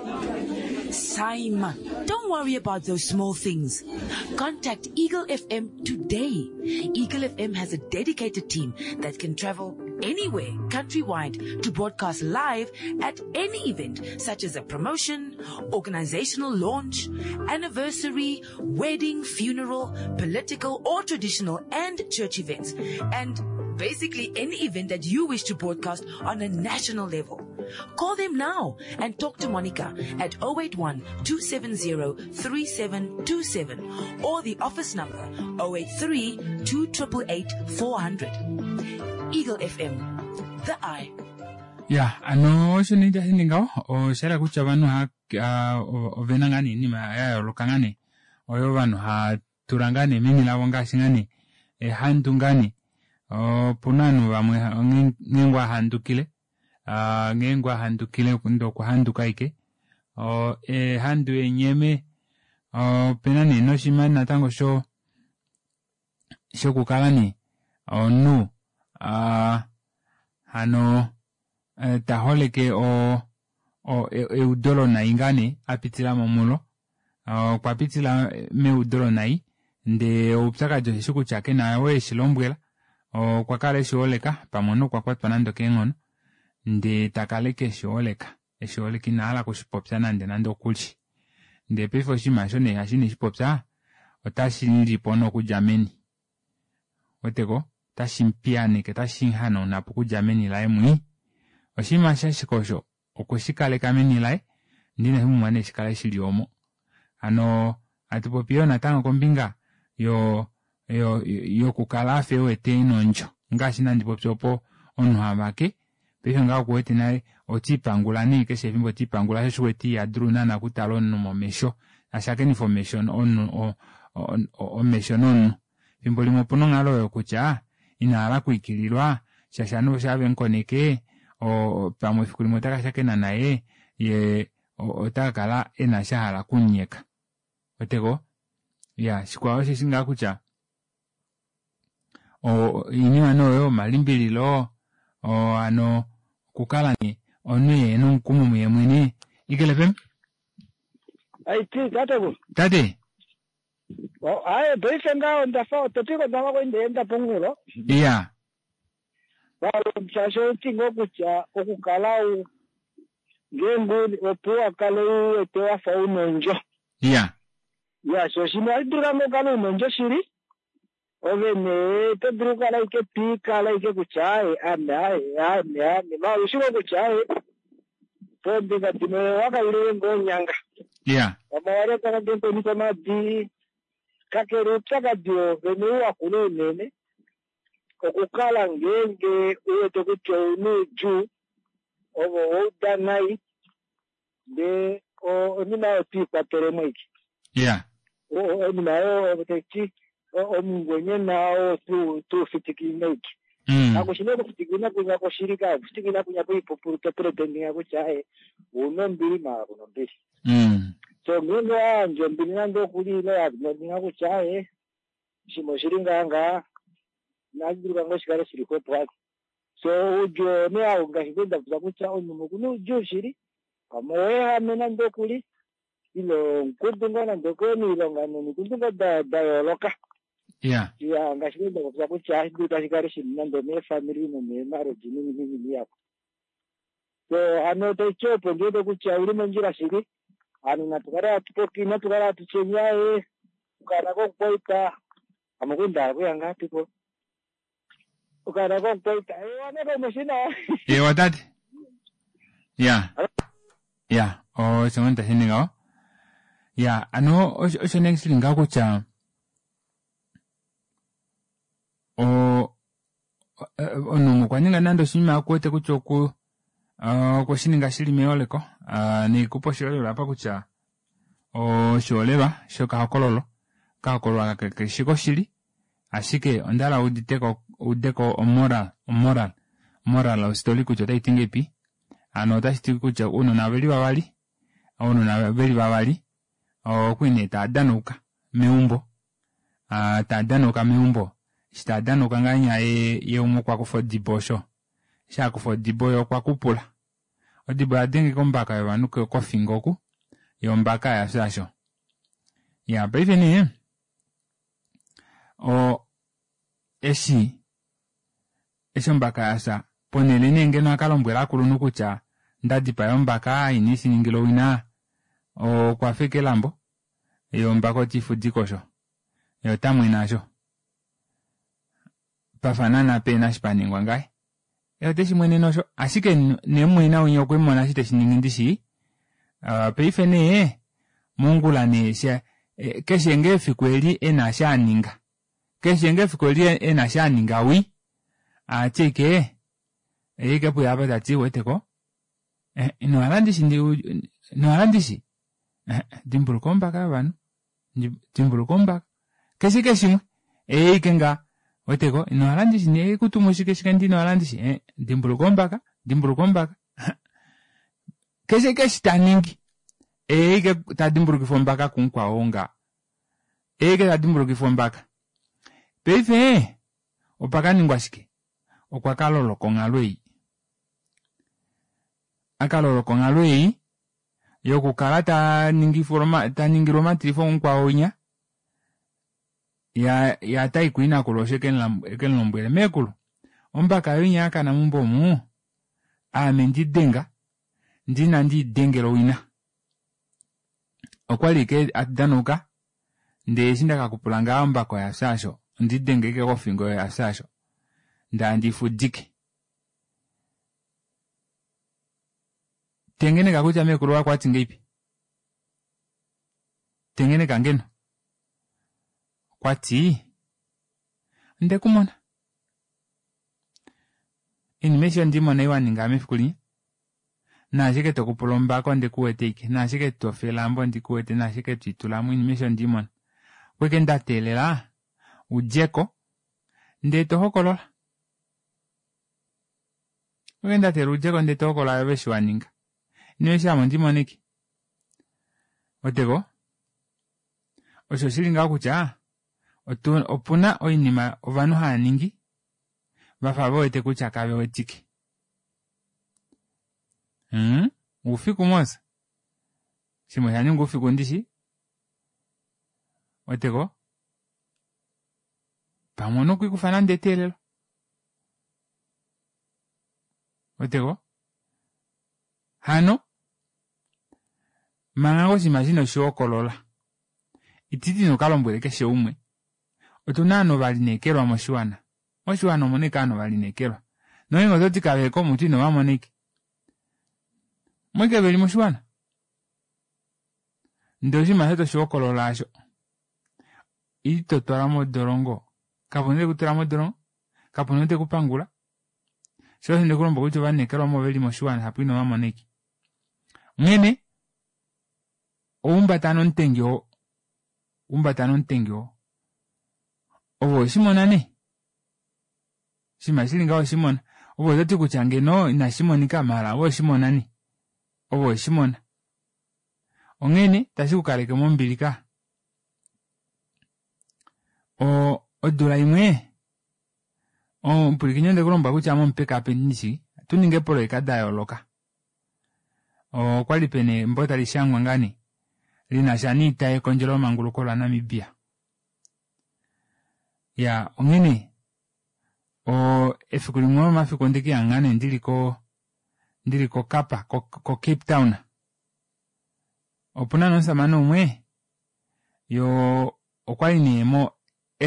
Saima, don't worry about those small things. Contact Eagle FM today. Eagle FM has a dedicated team that can travel anywhere countrywide to broadcast live at any event such as a promotion, organizational launch, anniversary, wedding, funeral, political or traditional and church events. And basically any event that you wish to broadcast on a national level. Call them now and talk to Monica at 081 270 3727 or the office number 083 2888 400. Eagle FM, the eye. Ya, ano osho nee tashi ningi ngaho, osha yela kutya ovanhu oha ovena ngaa nee oinima ya yooloka ngaa nee oyo ovanhu hava tula ngaa nee meni lavo ngaashi ngaa nee ehandu ngaa nee. Opuna ovanhu vamwe ngeenge wahandukile, ngeenge wahandukile ndee okwa handuka ashike, ehandu enyeme, opena nee noshinima natango sho shokukala nee omunhu hano taholeke eudo lonai ngaa nee apitila mulo, okwa pitila meudo lonai ndee oupyakadi osheshi kutya kena ou eshilombwela, okwa kala eshiholeka pamwe omunhu okwa kwatwa nande okeenghono ndee takala ashike eshiholeka, eshiholeka inahala okushipopya nande nande okuli. Ndee paife oshinima aasho nee eshi ineshipopya otashi mulipo nee okudja meni. Ouweteko? Otashi mupiyaaneke, otashi muhanaunapo okudja meni laye mwii. Oshinima ashike osho okweshi kaleka meni laye ndee inashi pumbwa nee shikale shili omo. Hano hatu popi yoo natango kombinga yo yokukala afa ewete ena ondjo ngaashi nandi popi opo omunhu havake paife ngaha okuwete nale otiipangula nee keshe efimbo otiipangula sho osho uwete ihadulu naana okutala omunhu momesho ashakenifa omesho omunhu omesho nomunhu efimbo limwe opuna onghalo oyo kutya inahala okwiikililwa shaashi ovanhu shaa vemukoneke pamwe efiku limwe otaka shakena naye yee otakakala ena eshi ahala okumunyeka weteko iya shikwao osheshi ngaa kutya oinima nee oyo omalimbililo hano okukala nee omunhu ehena omukumo muye mwene. Eagle FM. Aiti tateku. Tate. Aye paife ngaho ndafa otopiko ndafa kwendeenda pomunghulo. Iya. Shaashi outi ngoo kutya okukala u ngeenge opo wakale u wete wafa una ondjo. Iya. Ya, sho shimwe ohashi dulika ngoo ukale una ondjo shili, ove nee oto dulu okukala ashike twiikala ashike kutya aaye ame aaye ame ame maala oushi ngoo kutya aaye poombinga dimwe owakailile ngoo onyanga. Iya. Pamwe owalya nande mukweni komaadi, kakele oupyakadi woovene ou wakula unene okukala ngeenge u wete kutya ouna oudjuu ove owauda nai ndee onima oyo twiikwatelemo ashike. Iya. Oinima oyo taiti omungwenyena oo tuufitikine ashike. Kakushi nee okufitikina kwinya kwoshili kakufitikina kwinya kwoipupulu to pretendinga kutya aaye ouna ombili maala kuna ombili. So ngeenge owayandja ombili nande okuli ile waninga kutya aaye oshinima oshili ngaa ngaa inashi dulika ngoo shikale shili xwepo aako. So oudjuu oo nee hau ngaashi kwali ndapopya kutya omunhu okuna oudjuu shili pamwe oweehame nande okuli ile omukudu ngoo nande okoilonga nomikundu ngoo da yooloka. Iya. Iya, ngaashi kwali ndapopya kutya ohashi dulika shikale shili nande omeefamili nomeemarriage noinima ihapu. So hano taiti opo ndiwete kutya ouli mondjila shili, ovanhu natu kale hatu popi, inatu kala hatu tyeni aaye okaana komukwaita ame okwali ndahala okuya ngaapi po okaana komukwaita ewa nakaumwe shina. Ewa tate. Ya. Ya, osho ngoo tashi ningi ngaho. Ya, ano osho nee shili ngaho kutya omunhu okwa ninga nande oshinima okuwete kutya okwe shi ninga shili meholeko, neikupa oshiholelwa apa kutya oshiholelwa shokahokololo, okahokololo aka keshi koshili. Ashike onda hala uditeko udeko omoral omoral moral of story kutya otayi ti ngeipi. Hano otashi ti kutya ounona oveli vavali ounona veli vavali okwali nee tava danauka meumbo tava danauka meumbo eshi tava danauka ngahenya ye umwe okwa kufa odibo osho eshi akufa odibo ye okwa kupula odibo oya denga ombaka yovanhu kofingo oku yo ombaka yafya osho ya paife nee o eshi eshi ombaka yafya ponhele nee ngeno akalombwela akulunhu kutya ndadipaya ombaka ine shiningila owina okwa feka elambo ye ombaka otiifudike osho ye otamwene asho pafa naana pena eshi paningwa ngaye ye oteshi mwenene osho ashike nemumwaina winya okwemumona eshi teshiningi ndishi paife nee mongula nee keshe ngoo efiku eli ena eshi aninga keshe ngoo efiku eli ena eshi aninga wii ahati ashike ye ike puya apa tati ouweteko inohala ndishi inohala ndishi dimbuluka ombaka yovanhu dimbuluka ombaka keshe ike shimwe eike nga weteko inohala ndishi nekutumu shike shike ndi inohala ndishi dimbuluka ombaka dimbuluka ombaka keshe ike eshi taningi eike tadimbulukifa ombaka kumukwao nga eike tadimbulukifa ombaka paife opakaningwa shike okwa kaloloka onghalo ei akaloloka onghalo ei yokukala taningilwa omatilifo kumukwao winya ya tai kuinakulu osho ekemulombwele meekulu ombaka yoye inya yakana meumbo omu aame ndidenga ndee inandi idengela owina okwali ike atudanauka ndee eshi ndakakupula ngaha ombaka oyafya aasho ondiidenga ashike kofingo oyafya aasho ndee handiifudike tengeneka kutya meekulu wako okwati ngahelipi tengeneka ngeno okwati ondekumona oinima aishe ondiimona ei waninga mefiku linya naashike tokupula ombaka ondikuwete ashike naashike tofe elambo ondikuwete naashike twiitulamo oinima aishe ondiimona okwashike ndateelela udjeko ndee tohokolola okwashike ndateelela udjeko ndee tohokolola ove eshi waninga oinima aishe ame ondiimona ashike weteko osho oshili ngaho kutya opuna oinima ovanhu haaningi vafa vewete kutya kavewetike hmm oufiku mos shimwe oshaninga oufiku ndishi weteko pamwe ouna okwiikufa nande eteelelo weteko hano manga ngoo oshinima eshi inoshihokolola ititi nokalombwele keshe umwe otuna ovanhu ovalineekelwa moshiwana moshiwana omuna ashike ovanhu ovalineekelwa nongeenge ototi kaveko mutu inovamona ashike omo ashike veli moshiwana ndee oshinima osho toshihokolola aasho ito twalwa modolongo kapuna ou tekutula modolongo kapuna ou tekupangula shoo osho ndekulombwela kutya ovalineekelwa omo veli moshiwana shapo inovamona ashike onghene oumbata nomutengi oo umbata nomutengi oo ove oweshimona nee oshinima shili ngaho oweshimona ove ototi kutya ngeno inashi monika maala ove oweshimona nee ove oweshimona onghene tashi kukaleke mombili ka o odula imwe omupwilikini ondeku lombwela kutya ame omupekapeki ndishi atuningi eepoloyeka dayooloka okwali pena embo tali shangwa ngaa nee linasha niita yekondjelo manguluko la Namibia ya onghene o efiku limwe lomomafiku ondekiya nee ndili ko ndili kokapa ko Cape Town opuna nee omushamane umwe yo okwali nee mo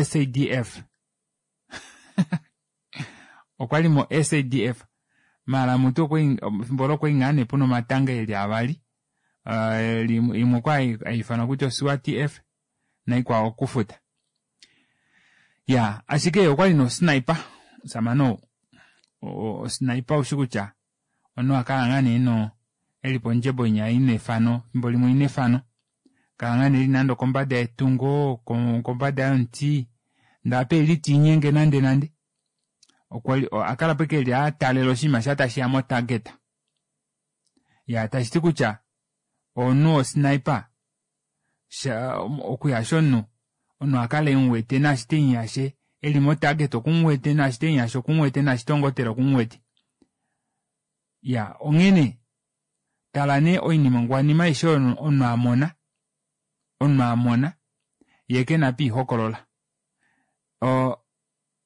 SADF okwali mo SADF maala mutu okwali efimbo olo okwali ngaa nee puna omatanga eli avali imwe okwali haifanwa kutya oSWATF naikwao okufuta ya ashike okwali nosniper omushamane ou osniper oushi kutya omunhu akala ngaa nee no eli pondjebo inya ina efano efimbo limwe ina efano kala ngaa nee eli nande okombada yetungo kombada yomuti. Ndee apa eli tiinyenge nande nande. Okwa akala po eke eli atalela oshinima sha tashiya mo target. Ya tashiti kutya omunhu wo sniper sha okuyasha omunhu, omunhu akale emuwete naashi temuyashe eli mo target okumuwete naashi temuyashe okumuwete naashi tongotela okumuwete. Ya onghene tala nee oiningwanima aishe oyo omunhu amona omunhu amona yee kena apa eihokolola.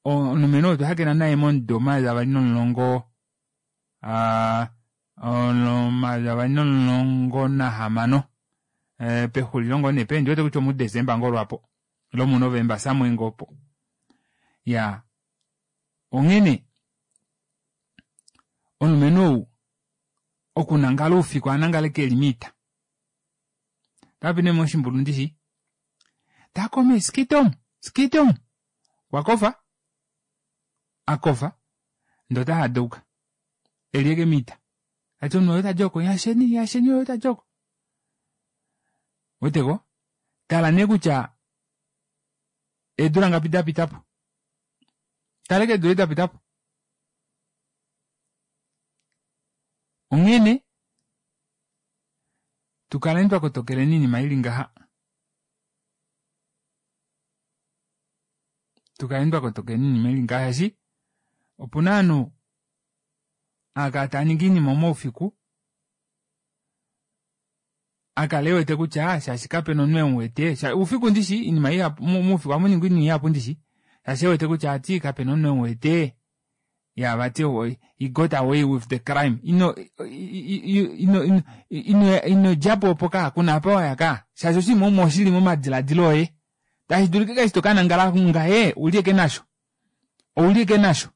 Omulumenhu oo otwa shakena naye momudo 2010 2016 pexulilo ngoo nee ndiwete kutya omu December ngoo lwaapo ile omu November somewhere ngoo opo. Iyaa onghene omulumenhu ou okunangala oufiku ohanangala ashike eli moita. Otapopi nee moshimbulu ndishi takome skitom skitom okwa kofa akofa ndee ota hadauka eli eke moita tati omunhu oye tadi oko yasheni yasheni oye tadi oko weteko tala nee kutya eedula ngapi dapitapo tala eke eedula dapitapo onghene tukaleni twakotokeleni oinima ili ngaha tukaleni twakotokeleni oinima ili ngaha shaashi opuna ovanhu haakala taaningi oinima moufiku akala ewete kutya shaashi kapena omunhu emuwete oufiku ndishi oinima ihapu moufiku ohamuningwa oinima ihapu ndishi shaashi ewete kutya ati kapena omunhu emuwete ya vati he got away with the crime ino ino ino ino ino djapo opo ka kuna apa waya ka shaashi oshinima omo oshili momadiladilo oye tashi dulika eshi to kanangala ngahe uli eke nasho ouli eke nasho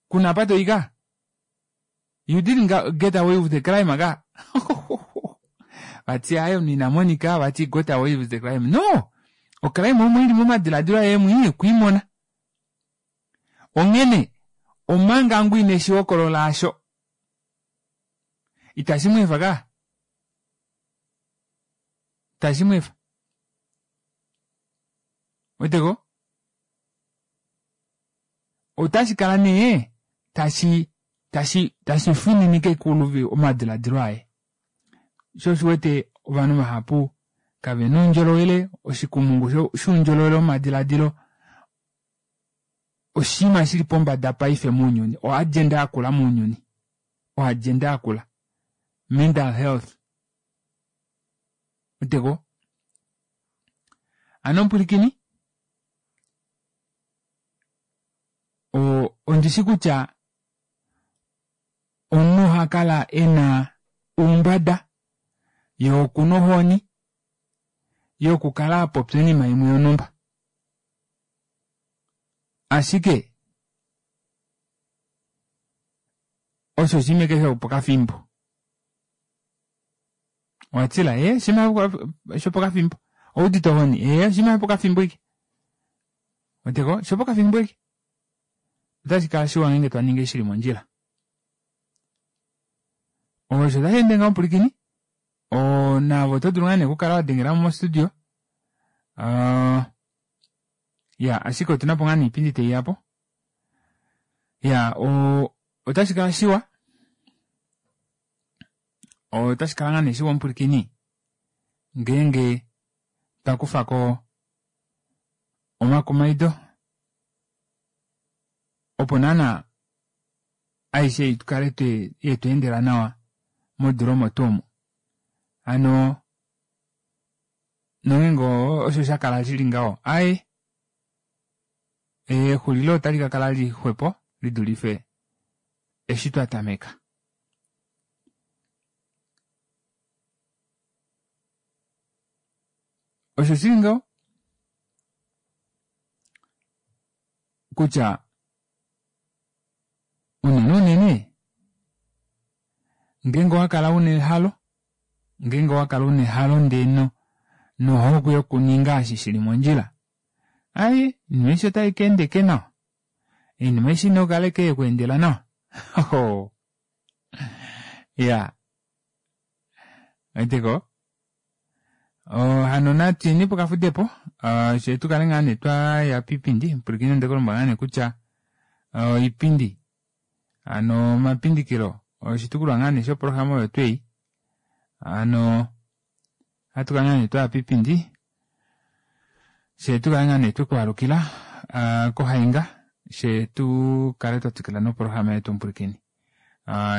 kuna apa toyi ka you didn't get away with the crime ka vati aye omunhu ina monika vati got away with the crime no ocrime omo ili momadiladilo aye mwii okwiimona onghene omanga ngu ine shi hokolola asho itashi mweefa ka itashi mweefa weteko otashi kala nee tashi tashi tashi fininike kuluvi omadiladilo aye sho oshiwete ovanhu vahapu kavena oundjolowele oshikumungu shoundjolowele womadiladilo oshinima shili pombada paife mounyuni oagenda yakula mounyuni oagenda yakula mental health weteko ano mpwilikini ondishi kutya omunhu oha kala ena oumbada ye okuna ohoni yokukala apopya oinima imwe yonhumba ashike osho oshinima eke shopokafimbo owatila ee oshinima shopokafimbo owudite ohoni ee oshinima shopokafimbo ike weteko shopokafimbo ike otashi kala shiwa ngeenge twa ningi shili mondjila osho tashi ende ngaho mupulikini naave oto dulu ngaa nee okukala wa dengela mo mostudio ya ashike otuna po ngaa nee iipindi taiya po ya otashi kala shiwa otashi kala ngaa nee shiwa omupulikini ngeenge twa kufa ko omakumaido opo naana aishe ikale yetu endela nawa modula omo tuu omo hano nongeenge osho sha kala shili ngaho aaye exulilo otali ka kala lixwepo lidulife eshi twa tameka. Osho shili ngaho kutya unene unene ngeenge owa kala una ehalo ngeenge owa kala una ehalo ndee no nohokwe yokuninga eshi shili mondjila ai oinima aishe otai ka enda ike nawa oinima aishe ina okukala ike yekweendela nawa iya weteko hano natuyeni pokafudepo. She tukale ngaa nee twaya piipindi pwilikina ndekulombwela ngaa nee kutya oipindi hano omapindikilo oshitukulwa ngaa nee shoprograma oyo twei hano ohatu kala ngaa nee twaya piipindi she tukale ngaa nee twekwaalukila kohainga she tukale twa twikila noprograma yetu omupwilikini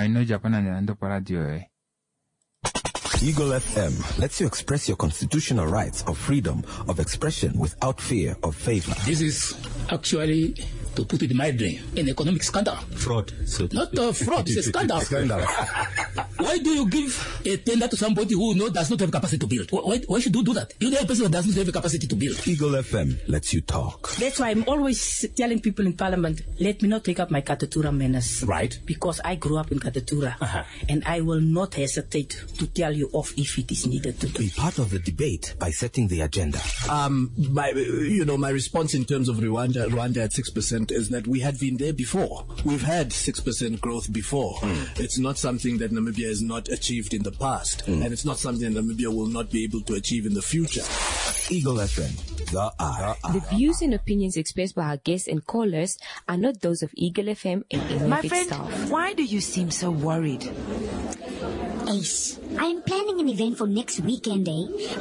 ino djapo nande nande oporadio yoye. Eagle FM lets you express your constitutional rights of freedom of expression without fear of favor. This is actually, to put it mildly, an economic scandal. Fraud. So Not a fraud, it's a scandal. Scandal. Why do you give a tender to somebody who does not have capacity to build? Why should you do that? You know a person that does not have the capacity to build. Eagle FM lets you talk. That's why I'm always telling people in Parliament, let me not take up my Katutura manners. Right. Because I grew up in Katutura. And I will not hesitate to tell you off if it is needed to do. Be part of the debate by setting the agenda. My response in terms of Rwanda at 6% is that we had been there before. We've had 6% growth before. It's not something that Namibia has not achieved in the past, and it's not something that Namibia will not be able to achieve in the future. Eagle FM, the eye. The views and opinions expressed by our guests and callers are not those of Eagle FM and any My of its friend, staff. why do you seem so worried? Ace, I'm planning an event for next weekend, eh?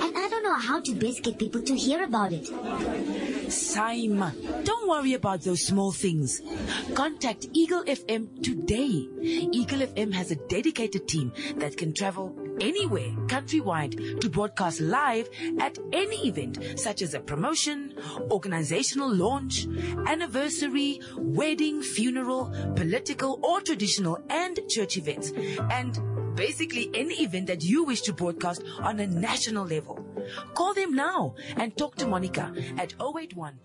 And I don't know how to best get people to hear about it. Saima, don't worry about those small things. Contact Eagle FM today. Eagle FM has a dedicated team that can travel anywhere, countrywide, to broadcast live at any event, such as a promotion, organizational launch, anniversary, wedding, funeral, political or traditional and church events, and basically any event that you wish to broadcast on a national level. Call them now and talk to Monica at 081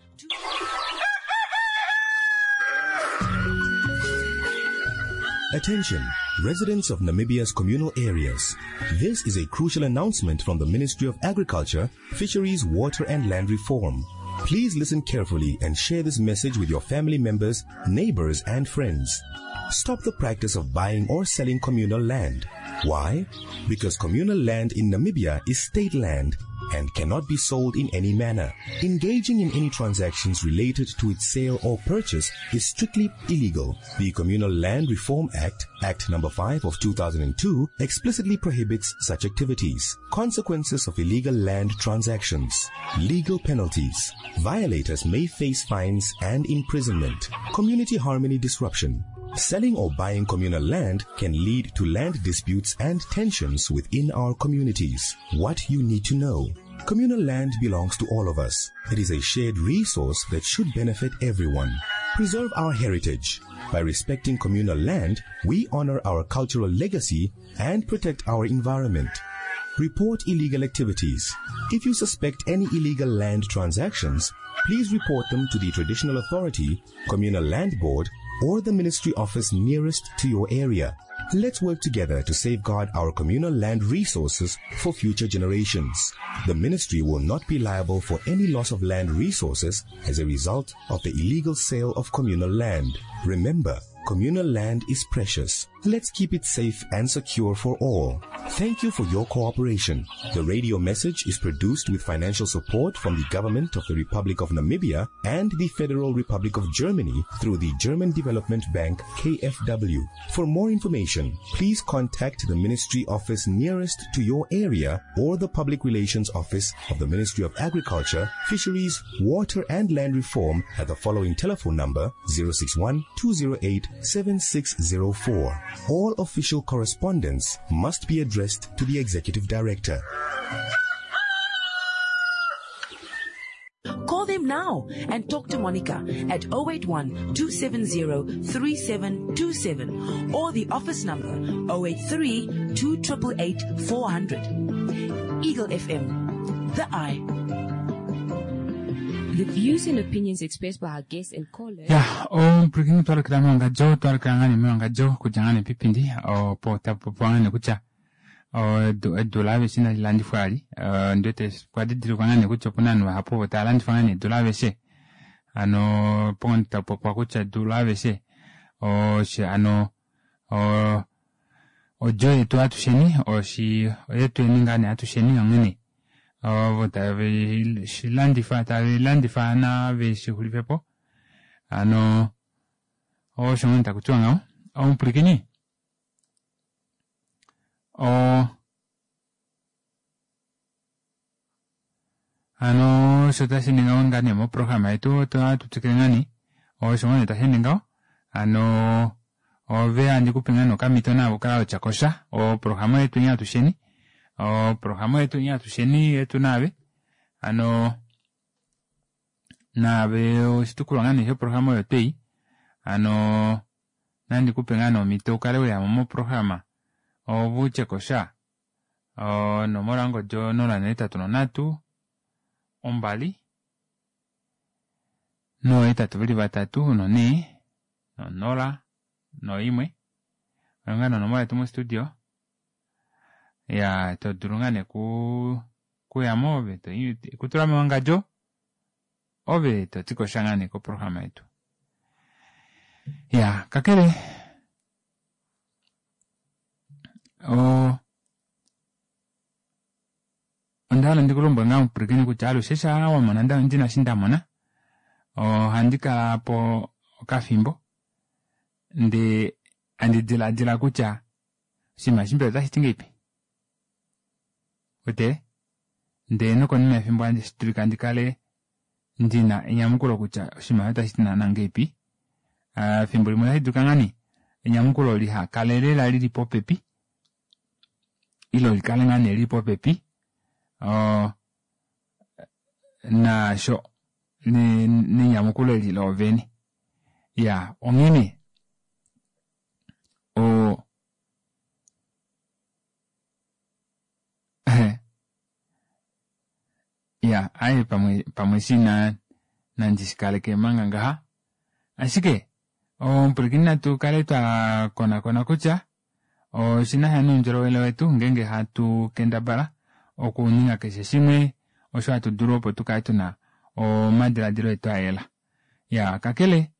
Attention, residents of Namibia's communal areas. This is a crucial announcement from the Ministry of Agriculture, Fisheries, Water and Land Reform. Please listen carefully and share this message with your family members, neighbors and friends. Stop the practice of buying or selling communal land. Why? Because communal land in Namibia is state land and cannot be sold in any manner. Engaging in any transactions related to its sale or purchase is strictly illegal. The Communal Land Reform Act, Act number 5 of 2002, explicitly prohibits such activities. Consequences of illegal land transactions. Legal penalties. Violators may face fines and imprisonment. Community harmony disruption. Selling or buying communal land can lead to land disputes and tensions within our communities. What you need to know. Communal land belongs to all of us. It is a shared resource that should benefit everyone. Preserve our heritage. By respecting communal land, we honor our cultural legacy and protect our environment. Report illegal activities. If you suspect any illegal land transactions, please report them to the traditional authority, communal land board, or the ministry office nearest to your area. Let's work together to safeguard our communal land resources for future generations. The ministry will not be liable for any loss of land resources as a result of the illegal sale of communal land. Remember, communal land is precious. Let's keep it safe and secure for all. Thank you for your cooperation. The radio message is produced with financial support from the Government of the Republic of Namibia and the Federal Republic of Germany through the German Development Bank KfW. For more information, please contact the ministry office nearest to your area or the Public Relations Office of the Ministry of Agriculture, Fisheries, Water and Land Reform at the following telephone number 061 208 7604. All official correspondence must be addressed to the Executive Director. Call them now and talk to Monica at 081 270 3727 or the office number 083 288 400. Eagle FM, the eye. The views and opinions expressed by our guests and callers. Ya, omupulakeni twalukila mewangadjo, twalukila ngaa nee mewangadjo okudja ngaa nee pipindi, opo tapopiwa ngaa nee kutya edu laaveshe inali landifwa vali. Ondi wete okwa didilikwa ngaa nee kutya opuna ovanhu vahapu ovo tava landifa ngaa nee edu laaveshe. Hano opo tapopiwa kutya edu laaveshe hano odjo yetu atusheni, oyetu yeni ngaa nee atusheni onghene. Ovo tave shi landifa tave landifa nave shi xulife po. Hano osho ngoo taku tiwa ngaho. Omupwilikini o hano osho tashi ningi ngaho ngaa nee moprograma yetu ohatu twikile ngaa nee osho ngoo nee tashi ende ngaho hano ove handi kupe ngaa nee okamhito naave ukale watya kosha oprograma yetu nye atusheni oprograma yetu nye atusheni yetu naave hano naave oshitukulwa ngaa nee shoprograma oyo twei hano nandi kupe ngaa nee omhito ukale weyamo moprograma ove utye kosha onomola yongodi 083 2 823 4 0 1 oyo ngaa nee onomola yetu mostudio ya to dulu ngaa nee kuyamo ove kutula mewangadjo ove toti kosha ngaa nee koprograma yetu ya kakele onda hala ndikulombwele ngaa omupwilikini kutya alushe shaa wamona ndina eshi ndamona ohandi kala po okafimbo ndee handi dilaadila kutya oshinima eshi mbela otashi ti ngahelipi wete ndee nokonima yefimbo handi dulika ndikale ndina enyamukulo kutya oshinima otashi ti naana ngahelipi. Efimbo limwe otashi dulika ngaa nee enyamukulo lihakale lela lili popepi ile likale ngaa nee lili popepi naasho nenyamukulo eli loovene. Ya onghene ya aaye pamwe pamwe shina nandi shikaleke manga ngaha ashike omupwilikini natu kale twa konakona kutya oshina sha noundjolowele wetu ngeenge hatu kendabala okuninga keshe shimwe osho hatu dulu opo tukale tuna omadiladilo etu ayela. Ya kakele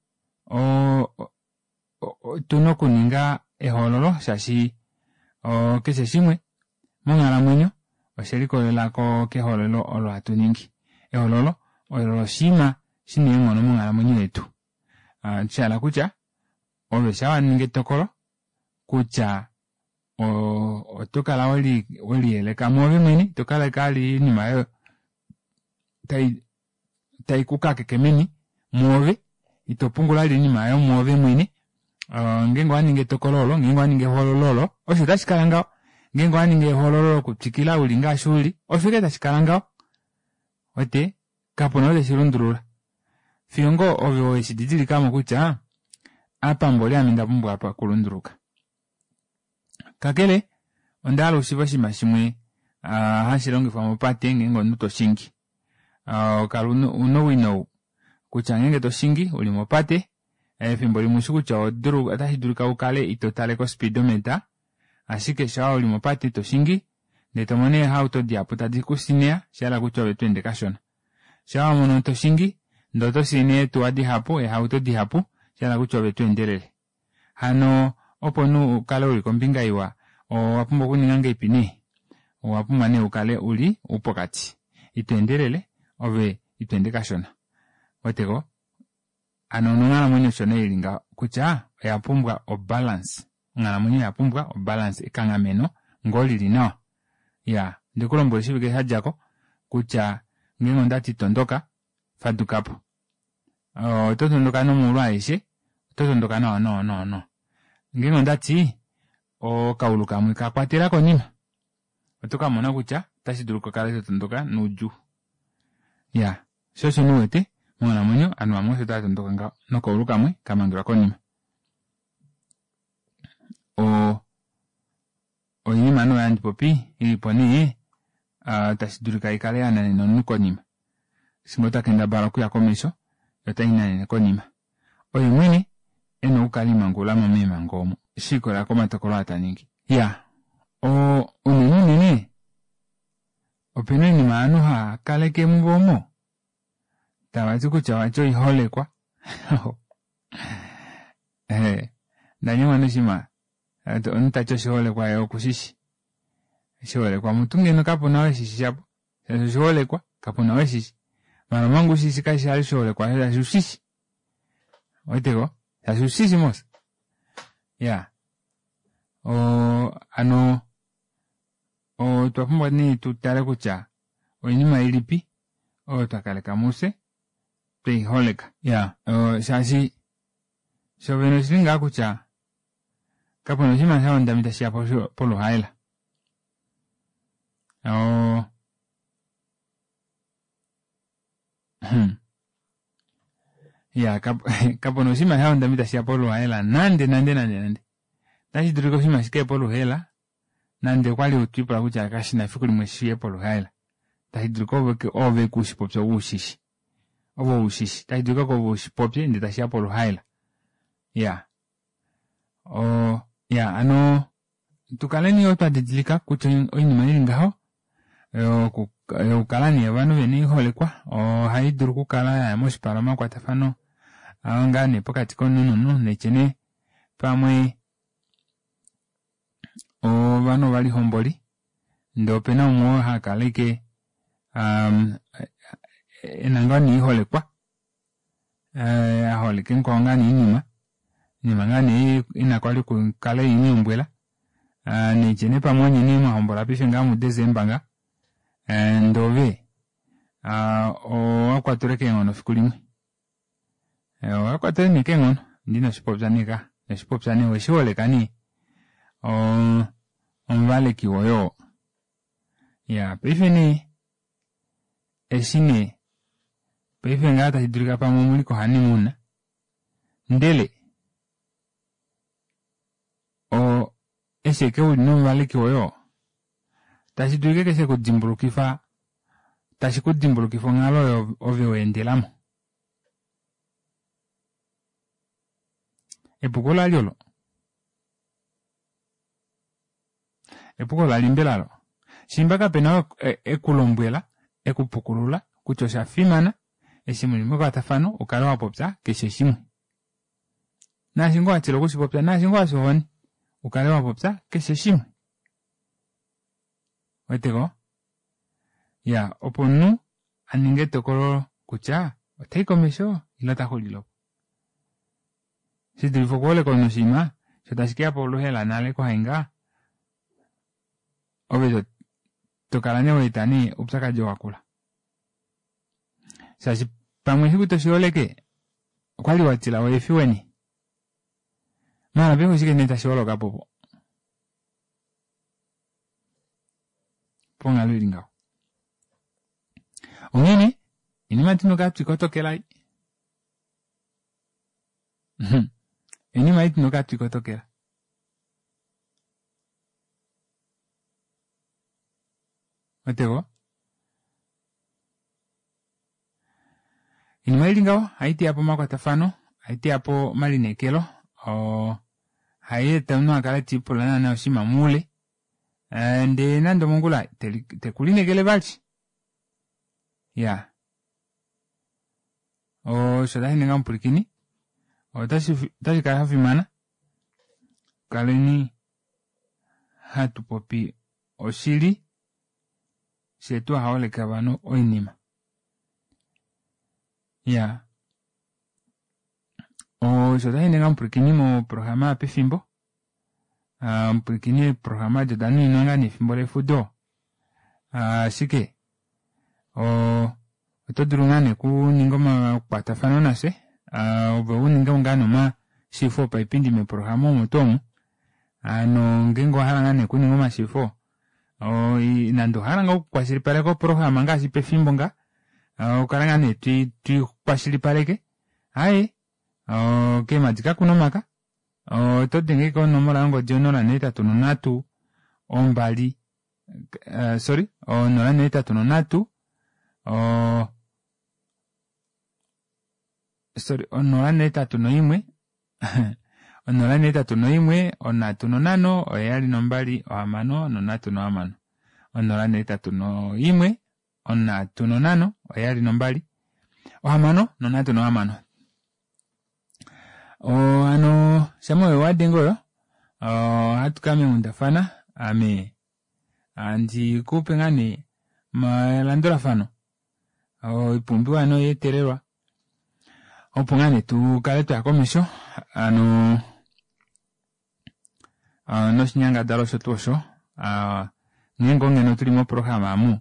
otuna okuninga ehoololo shaashi keshe shimwe monghalamwenyo oshelikolelela kehoololo olo hatu ningi. Ehoololo olo oshinima shina eenghono monghalamwenyo yetu. Shahala kutya ove shaa waningi etokolo kutya oto kala weliyeleka mwoove mwene ito kala vali oinima oyo tai kukakeke meni mwoove ito pungula vali oinima oyo mwoove mwene ngeenge owaningi etokolo olo ngeenge owaningi ehoololo olo osho tashi kala ngaho ngeenge owaningi ehoololo lokutwikila uli ngaashi uli osho ashike tashi kala ngaho wete kapuna ou teshi lundulula fiyo ngoo ove weshi didilikamo kutya apa mboli ame onda pumbwa apa okulunduluka. Kakele onda hala ushiive oshinima shimwe hashi longifwa mopate ngeenge omunhu toshingi. Kala una owino ou kutya ngeenge toshingi uli mopate efimbo limwe ushi kutya otashi dulika ukale ito tale kospeedometer ashike shaa uli mopate toshingi ndee tomono eehauto dihapu tadi kusineya oshahala kutya ove tweende kashona. Shaa wamono toshingi ndee oto siine eetuwa dihapu eehauto dihapu oshahala kutya ove tweendelele. Hano opo omunhu ukale uli kombinga iwa owapumbwa okuninga ngahelipi nee? Owapumbwa nee ukale uli upokati ito endelele ove ito ende kashona weteko hano nonghalamwenyo osho nee ili ngaho kutya oya pumbwa obalance onghalamwenyo oya pumbwa obalance ekanghameno ngoo lili nawa ya ndikulombwela oshivike shadjako kutya ngeenge ondati tondoka fadukapo oto tondoka nomaulu aeshe oto tondoka nawa nawa nawa nawa ngeenge ondati okaulu kamwe kakwatela konima oto kamona kutya otashi dulu kukala to tondoka noudjuu ya sho osho nee uwete monghalamwenyo ovanhu vamwe osho tava tondoka ngaho nokaulu kamwe kamangelwa konima oinima nee oyo handi popi ilipo nee tashi dulika ikale yananena omunhu konima eshi ngoo takendabala okuya komesho yo otai nanene konima. Oye mwene ena okukala imangululamo meemhango omo shiikolela komatokolo aa taningi. Ya unene unene opena oinima ovanhu hava kaleke muvo omo tavati kutya vati oiholekwa ndanyengwa noshinima omunhu tati oshiholekwa yee okushishi oshiholekwa mutu ngeno kapuna ou eshishi shapo. Shaashi oshiholekwa, kapu na oo eshishi. Maala omanga ushishi kashi li oshiholekwa shaashi ushishi. Oweteko? Shaashi ushishi mos. Ya. Oo hano otwa pumbwa nee tutale kutya oinima ilipi oyo twakaleka mufye tweiholeka. Ya shaashi shovene oshili ngaa kutya kapuna oshinima shahondama tashiya poluhaela. Oo ya kapuna oshinima shahondama itashiya poluhaela nande nande nande nande. Otashi dulika oshinima shikaye poluhaela nande okwali twiipula kutya kashina efiku limwe shiye poluhaela. Tashi dulika ove kushipopye ushishi. Ove ushishi. Tashi dulika ove ushipopye ndee tashiya poluhaela. Ya. Oo ya hano tukaleni yoo twadidilika kutya oinima ili ngaho yokukala nee ovanhu vena oiholekwa ohai dulu okukala yaya moshipala omakwatafano ngaa nee pokati komunhu nomunhu netye nee pamwe ovanhu ovalihomboli ndee opena umwe oo hakala ashike ena ngoo nee oiholekwa aholeke mukwao ngaa nee oinima oinima ngaa nee ina kwali okukala eimulombwela netye nee pamwe onye nee mwahombola paife ngaa mu Desemba nga ndee ove owakwatelwe keenghono efiku limwe. Owakwatelwe nee keenghono ndee inoshipopya nee ka inoshipopya nee oweshiholeka nee omuvaleki woye oo. Iyaa paife nee eshi nee paife ngaa tashi dulika pamwe omuli ko honeymoon ndele eshi ashike uli nomuvaleki woye oo tashi dulika ashike shekudimbulukifa tashi kudimbulukifa onghalo oyo ove waendelamo. Epuko lali olo. Epuko lali mbela olo. Shimba kapena oo ekulombwela ekupukulula kutya osha fimana eshi muli mekwatafano ukale wapopya keshe shimwe. Naashi ngoo watila okushipopya naashi ngoo wafya ohoni ukale wapopya keshe shimwe. Weteko? Ya opo omunhu aninge etokolo kutya otai komesho ile ota xulile opo. Shidulife okuholeka omunhu oshinima sho tashi keya poluhaela nale kwahainga ove tokala nee waeta nee oupyakadi wakula. Shaashi pamwe efiku toshiholeke okwali watila weefiweni. Maala paife oshike nee tashi holokapo po? Ponghalo ili ngaho. Onghene oinima tuna okukala twikotokela oinima ei tuna okukala twikotokela. Weteko? Oinima ili ngaho ohai teya po omakwatafano, ohai teya po omalineekelo, ohai eta omunhu akale tiipula naana oshinima moule ndee nande omongula tekulineekele vali. Iyaa. Osho tashi ninga omupwilikini otashi kala shafimana kaleni hatu popi oshili fyee tuhaholeke ovanhu oinima. Iyaa. Osho tashi ninga omupwilikini moprograma yopefimbo omupwilikini eeprograma edi oda nuninwa ngaa nee efimbo lefudo ashike oto dulu ngaa nee okuninga omakwatafano nafye ove uninge ngaa nee omashiifo opaipindi meeprograma omo tuu omu. Hano ngeenge owahala ngaa nee okuninga omashiifo nande owahala ngoo okukwashilipaleka oprograma ngaashi pefimbo nga okala ngaa nee twikwashilipaleke aaye keemadi kakuna omaka oto denge konomola yongodi 083 2 sorry 083 sorry 081 081 305 726 081 305 726. Hano shama oyo wadenge oyo ohatu kaya meenghundafana ame handi kupe ngaa nee Elandulafano oipumbiwa noyeetelelwa opo ngaa nee tukale twaya komesho hano noshinyangadalwa osho tuu osho ngeenge ongeno tuli moprograma amu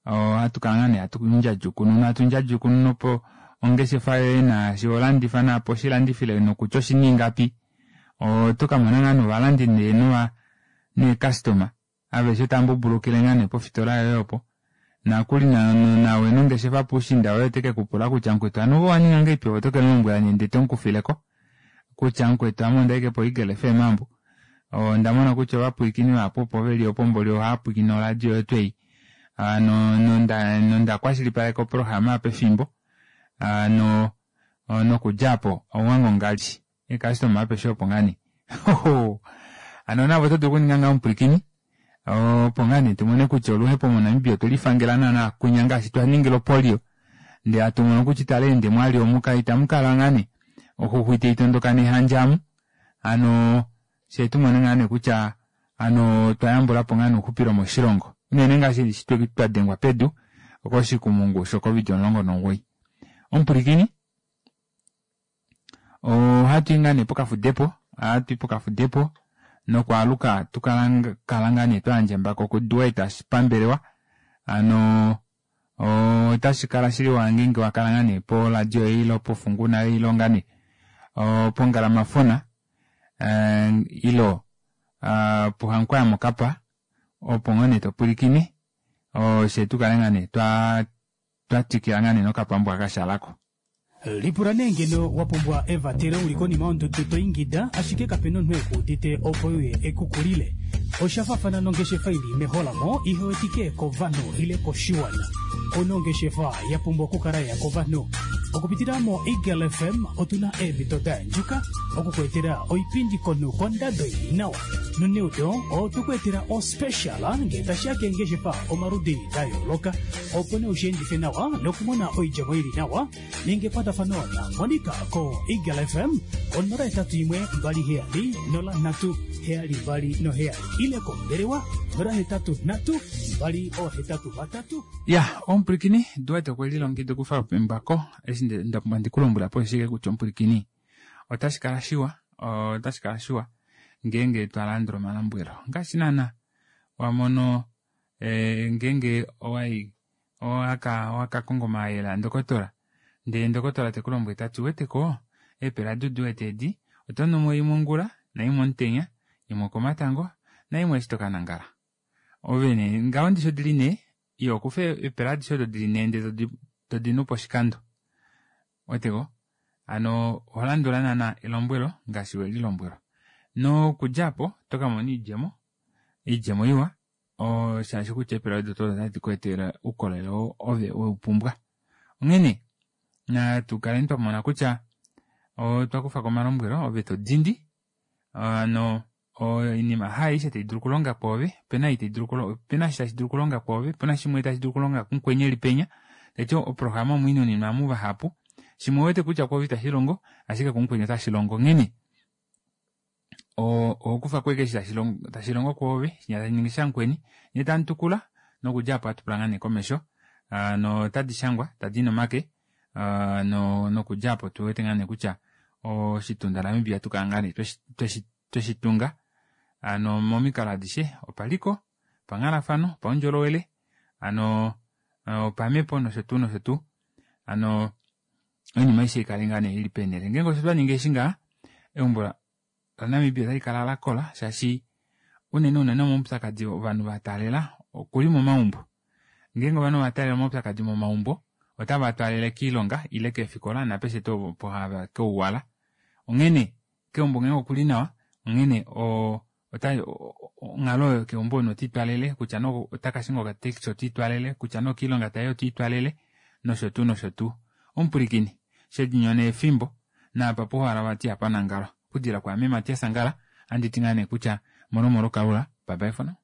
ohatu kala ngaa nee hatu ndjadjukununa hatu ndjadjukununa opo ongeshefa yoye naashi holandifa naapo oshilandifile nokutya oshina ingapi oto kamona ngaa novalandi nee nova neecustoma aveshe otava mbubulukile ngaa nee pofitola yoye opo nakuli nawe nongeshefa puushinda woye ote kekupula kutya mukwetu hano ove owaninga ngahelipi ove oto kemulombwela nee ndee tomukufileko kutya mukwetu ame ondaike po Eagle FM ambo onda mona kutya ovapwilikini vahapu opo veli opo mboli ohaapwilikine oradio yetu ei nonda nonda kwashilipaleka oprograma pefimbo no nokudja apo ouwange ongali eecustoma apeshe opo ngaa nee hano navo oto dulu okuninga ngaho omupwilikini opo ngaa nee tumone kutya oluhepo moNamibia otwe lifangela naana kunya ngaashi twa ningila opolio ndee hatu mono kutya italeende mwali omu itamu kala ngaa nee oxuxu itai tondoka nehandja amu hano fyee tumone ngaa nee kutya hano otwa yambulapo ngaa nee ouxupilo moshilongo unene ngaashi eshi twa dengwa pedu koshikumungu sho covid 19 omupwilikini ohatu i ngaa nee pokafudepo ohatu i pokafudepo nokwaaluka tukala ngaa nee twa yandja embako kuDuet pambelewa hano otashi kala shili wa ngeenge wakala ngaa nee poradio ile pofunguna ile ngaa nee pongalamafona ile pohankwaya mokapa opo ngoo nee topwilikine fye tukale ngaa nee twatwikila ngaa nee nokapambu aka kashalako. Lipula nee ngeno wa pumbwa evatelo uli konima yondudu to ingida ashike kapena omunhu ekuudite opo uye ekukulile. Osha faafana nongeshefa ili meholamo ihewetike kovanhu ile koshiwana. Ouna ongeshefa ya pumbwa okukala ya kovanhu. Okupitila mo Eagle FM otuna eemhito da yandjuka okukuetela oipindi konhu kondado ili nawa. Noneudo otukuetela ospecial ngee tashiya keengeshefa omaludi da yooloka opo nee ushiendife nawa nokumona oidjemo ili nawa ninga ekwatafano na Monica ko Eagle FM ko 081 27 03 727 ile kombelewa 083 283. Ya, omupwilikini Duarte okwe lilongekida okufa embako eshi nda pumbwa ndikulombwela po ashike kutya omupwilikini otashi kala shiwa otashi kala shiwa ngeenge twa landula omalombwelo ngaashi naana wa mono ngeenge owai owaka konga omayele andokotola ndee ndokotola tekulombwele tati uweteko eepela duduwete edi oto numo imwe ongula naimwe omutenya imwe okomatango naimwe eshi tokanangala ove nee ngaho ndishi odili nee iyo okufa eepela adishe odo dili nee ndee todinu poshikando weteko hano oholandula naana elombwelo ngaashi welilombwelwa nokudja apo otokamona oidjemo oidjemo iwa shaashi kutya eepela odo tuu otadi ku etele oukolele oo ove weupumbwa onghene natu kaleni twamona kutya otwa kufako omalombwelo ove todindi hano oinima haaishe tai dulu okulonga kwoove opena ei taidulu opena eshi tashi dulu okulonga kwoove opena shimwe tashi dulu okulonga kumukweni eli penya taiti oprograma omo inuninwa muvahapu shimwe owete kutya kwoove itashi longo ashike kumukweni otashi longo onghene ohokufa ko eshi tashi longo kwoove shinya tashi ningi shamukweni nyee tamutukula nokudja apo ohatu pula ngaa nee komesho notadi shangwa tadi nomake nokudja apo tuwete ngaa nee kutya oshitunda Namibia tukala ngaa nee tweshitunga hano momikalo adishe opaliko opanghalafano opaundjolowele hano opamhepo nosho tuu nosho tuu hano oinima aishe ikale ngaa nee ili peenele ngeenge osho twaninga eshi ngaha eumbo laNamibia otali kala lakola shaashi unene unene omaupyakadi ovanhu vataalela okuli momaumbo ngeenge ovanhu ovataalela omaupyakadi momaumbo otava twaalele kiilonga ile keefikola napeshe tuu opo hava keuwala onghene keumbo ngeenge okuli nawa onghene onghalo oyo keumbo omunhu otiitwalele kutya nee otakashinga okataxi otiitwalele kutya nee okiilonga tayi otiitwalele nosho tuu nosho tuu omupwilikini shedinyona efimbo naapa puhala vati ihapanangalwa okudila kwaame Matias Angala anditi ngaa nee kutya molo molo kalula bye bye for now.